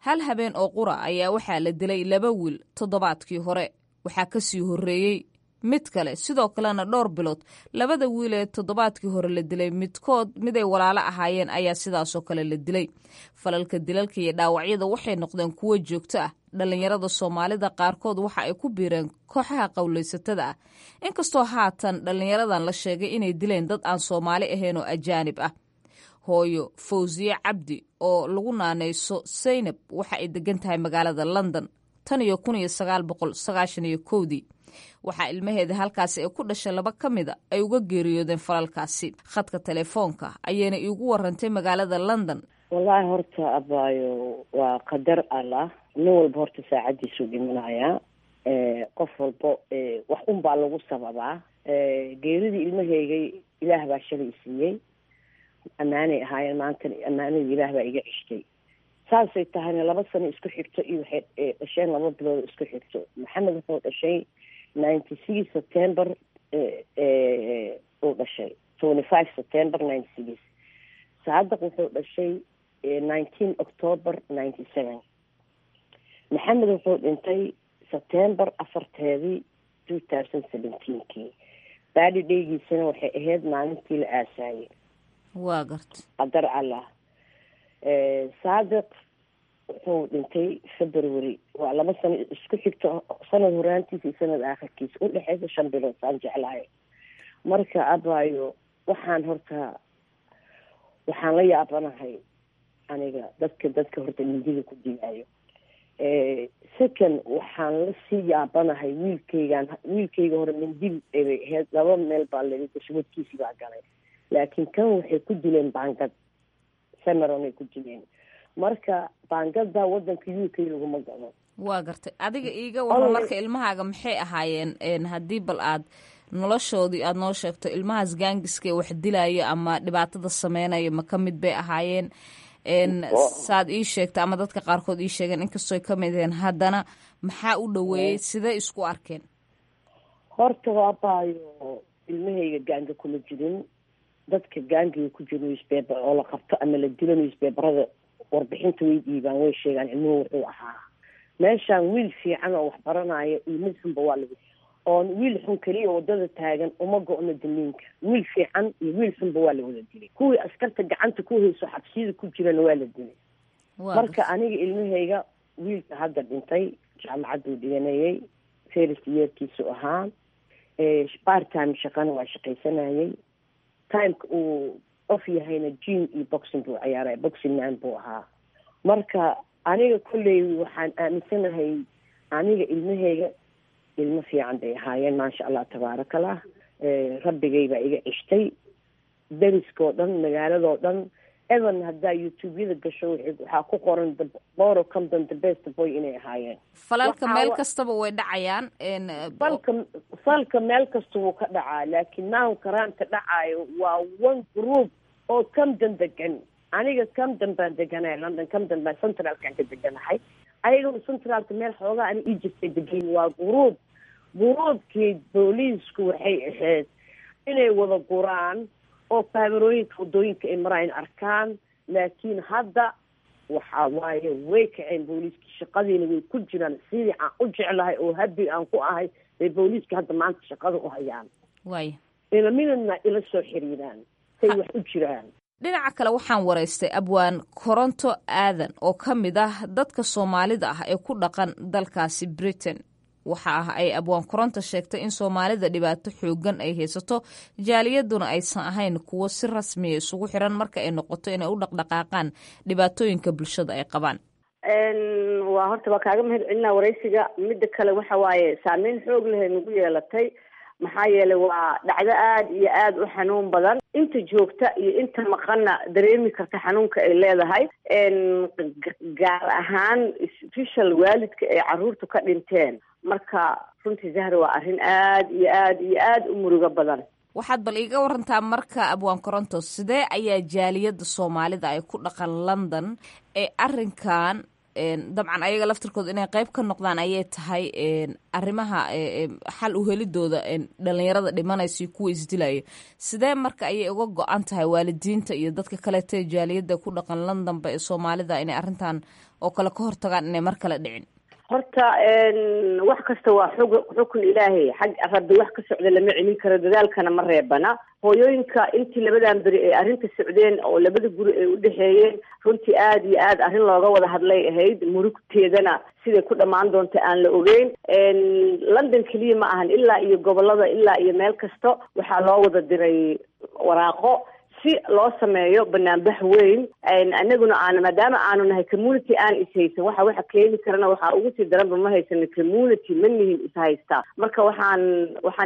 Hal habeen oo qura ayaa waxaa la dilay laba wiil toddobaadkii hore, waxaa kasii horreeyey mid kale, sidoo kalena dhowr bilood labada wiil ee toddobaadkii hore la dilay midkood miday walaalo ahaayeen ayaa sidaasoo kale la dilay. Falalka dilalka iyo dhaawacyada waxay noqdeen kuwo joogto ah. Dhallinyarada Soomaalida qaarkood waxa ay ku biireen kooxaha qowlaysatada ah, inkastoo haatan dhallinyaradan la sheegay inay dileen dad aan Soomaali ahayn oo ajaanib ah. Hooyo Fawsiye Cabdi oo lagu naanayso Saynab waxa ay degan tahay magaalada London tan iyo 1991-dii. Waxaa ilmaheeda halkaasi ay ku dhashay laba ka mida ay uga geeriyoodeen falalkaasi. Khadka telefoonka ayayna iigu warantay magaalada London. Wallaahi horta abaayo, waa qadar Allah. Nin walba horta saacaddiisuu dhimanayaa. Qof walbo wax un baa lagu sababaa. Geeridii ilmahaygay Ilaah baa shalay siiyey, ammaanay ahaayeen, maantana ammaanadii Ilaah baa iga ceshtay. Saasay tahayna 2 sano isku xigto iyo waxay dhasheen 2 bilood isku xigto. Maxamed wuxuu dhashay 96 September uu dhashay, 25 September 96. Saadaq wuxuu dhashay 19 October 97. Maxamed wuxuu dhintay September 4-teedii 2017-kii. Baadi dheygiisana waxay ahayd maalintii la aasaayey. Waa garta. Qadar Allah. Saadiq wuxuu dhintay February. Waa 2 sano isku xigto, sanad horaantiisa iyo sanad aakhirkiisa, udhexeysa 5 bilood saan jeclahay. Marka abaayo, waxaan horta waxaan la yaabanahay aniga dadka horta mindida ku dilaayo. Second, waxaan lasii yaabanahay wiilkaygan. Wiilkayga hore mindi bay ahayd, laba meel baa laga gashay, wadkiisii baa galay, laakiin kan waxay ku dileen baangad samaron ay ku dileen. Marka baangada wadanka UK laguma gado. Waa gartay. Adiga iiga waran marka, ilmahaaga maxay ahaayeen, haddii bal aad Noloshoodii aad noo sheegto, ilmahaas gaangiska ee wax dilaya ama dhibaatada sameynaya ma ka mid bay ahaayeen? Saad ii sheegta ama dadka qaarkood ii sheegeen, inkastoo ka mid aheen, haddana maxaa u dhoweeyey? Sidee isku arkeen? Horta waabaayo, ilmahayga gaanga kuma jirin. Dadka gaangiga ku jira newspaper oo la qabto ama la dilo, newspaperada warbixinta way dhiibaan, way sheegaan ilmuhu wuxuu ahaa. Meeshaan wiil fiican oo wax baranaya iyo mid xunba waa lagu oon wiil xun keliya wadada taagan uma go-no damiinka. Wiil fiican iyo wiil xunba waa la wada dilay. Kuwii askarta gacanta ku hayso xabsiyada ku jirana waa la dilay. Marka aniga ilmahayga, wiilka hadda dhintay jaamacaduu dhiganayay, first yearkiisu ahaa. Part time shaqana waa shaqaysanayay. Timeka uu off yahayna gym iyo boxing buu ciyaaray, boxing man buu ahaa. Marka aniga kolley waxaan aaminsanahay, aniga ilmahayga ilmo fiican bay ahaayeen, maasha Allah, tabaarakallah. Rabbigay baa iga cishtay. Deriskoo dhan, magaaladoo dhan, even haddaa YouTube-yada gasho, waxaa ku qoran Boro Camden the best boy inay ahaayeen. Falalka meel kastaba way dhacayaan. Falka meel kasta wuu ka dhacaa, laakiin now crimeka dhacaayo waa one group oo Camden degan. Aniga Camden baan deganahay, London Camden baan centralkan ka deganahay. Ayaguna centralka meel xoogaa ani ii jirtay degan. Waa group. Groupkii booliisku waxay ahayd inay wada guraan oo kaamerooyinka wadooyinka ay maraayan arkaan, laakiin hadda waxa waaye way kaceen booliiskii, shaqadiina way ku jiraan. Sidii aan u jeclahay oo happy aan ku ahay bay booliiska hadda maanta shaqada u hayaan. Ilamidna ila soo xiriiraan say wax u jiraan. Dhinaca kale, waxaan waraystay abwaan Koronto Aadan oo ka mid ah dadka Soomaalida ah ee ku dhaqan dalkaasi Britain. Waxa ah ay abwaan Koronto sheegtay in Soomaalida dhibaato xoogan ay haysato, jaaliyaduna aysan ahayn kuwo si rasmiya isugu xiran marka ay noqoto inay u dhaqdhaqaaqaan dhibaatooyinka bulshada ay qabaan. Waa horta waa kaaga mahad celinaa waraysiga. Midda kale waxa waaye saameyn xoog leh ay nagu yeelatay, maxaa yeelay waa dhacdo aada iyo aada u xanuun badan. Inta joogta iyo inta maqanna dareemi karta xanuunka ay leedahay, gaar ahaan special waalidka ay caruurtu ka dhinteen. Marka runtii, Zahra, waa arrin aada iyo aada iyo aada u murugo badan. Waxaad bal iiga warantaa marka, abwaan Koronto, sidee ayaa jaaliyadda Soomaalida ay ku dhaqan London ee arrinkan, dabcan ayaga laftirkooda inay qayb ka noqdaan ayay tahay, arrimaha xal u helidooda dhalinyarada dhimanaysa iyo kuwa isdilaya, sidee marka ayay uga go-an tahay waalidiinta iyo dadka kaleeta jaaliyadda ku dhaqan Londonba ee Soomaalida inay arrintan oo kale ka hortagaan inay mar kale dhicin? Horta wax kasta waa xug xukun Ilaahay, xag Rabbi wax ka socda lama celin karo, dadaalkana ma reebana. Hooyooyinka intii labadan beri ay arrinta socdeen oo labada guri ay udhexeeyeen, runtii aada iyo aad arrin looga wada hadlay ahayd, murugteedana siday ku dhammaan doonta aan la ogeyn. London keliya ma ahan, ilaa iyo gobolada, ilaa iyo meel kasta waxaa loo wada diray waraaqo si loo sameeyo banaanbax weyn. Anaguna aan maadaama aanu nahay community aan ishaysan, waxa keeni karana waxaa ugu sii daranba ma haysano community, ma nihin ishaysta. Marka waxaan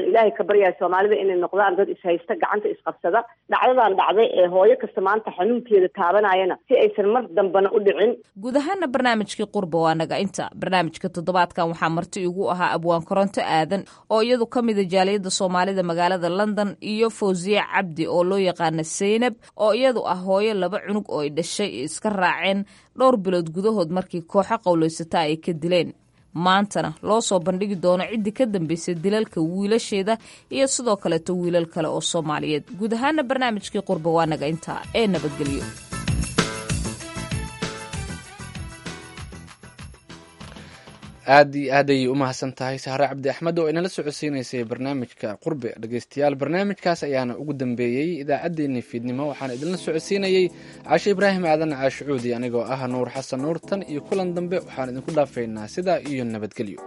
Ilaahay ka baryahay Soomaalida inay noqdaan dad ishaysta, gacanta isqabsada, dhacdadan dhacday ee hooyo kasta maanta xanuunkeeda taabanayana si aysan mar dambana u dhicin. Guud ahaana barnaamijkii Qurba waa naga inta. Barnaamijka toddobaadkan waxaa marti igu ahaa abwaan Koronto Aadan oo iyadu ka mida jaaliyadda Soomaalida magaalada London, iyo Fawziye Cabdi oo loo yaqaana Zaynab, oo iyadu ah hooyo laba cunug oo ay dhashay iska raaceen dhowr bilood gudahood markii kooxo qowlaysata ay ka dileen, maantana loo soo bandhigi doono ciddii ka dambeysay dilalka wiilasheeda iyo sidoo kaleeto wiilal kale oo Soomaaliyeed. Guud ahaana barnaamijkii Qurba waa naga intaa ee nabadgelyo. Aad iyo aad ayay u mahadsan tahay Sahre Cabdi Axmed oo inala socodsiineysay barnaamijka Qurbe. Dhegeystayaal, barnaamijkaas ayaana ugu dambeeyey idaacaddeenii fiidnimo. Waxaana idinla socodsiinayey Caashe Ibraahim Aadan Caashucuudi, anigoo ah Nuur Xasan Nuur. Tan iyo kulan dambe, waxaan idinku dhaafaynaa sidaa iyo nabadgelyo.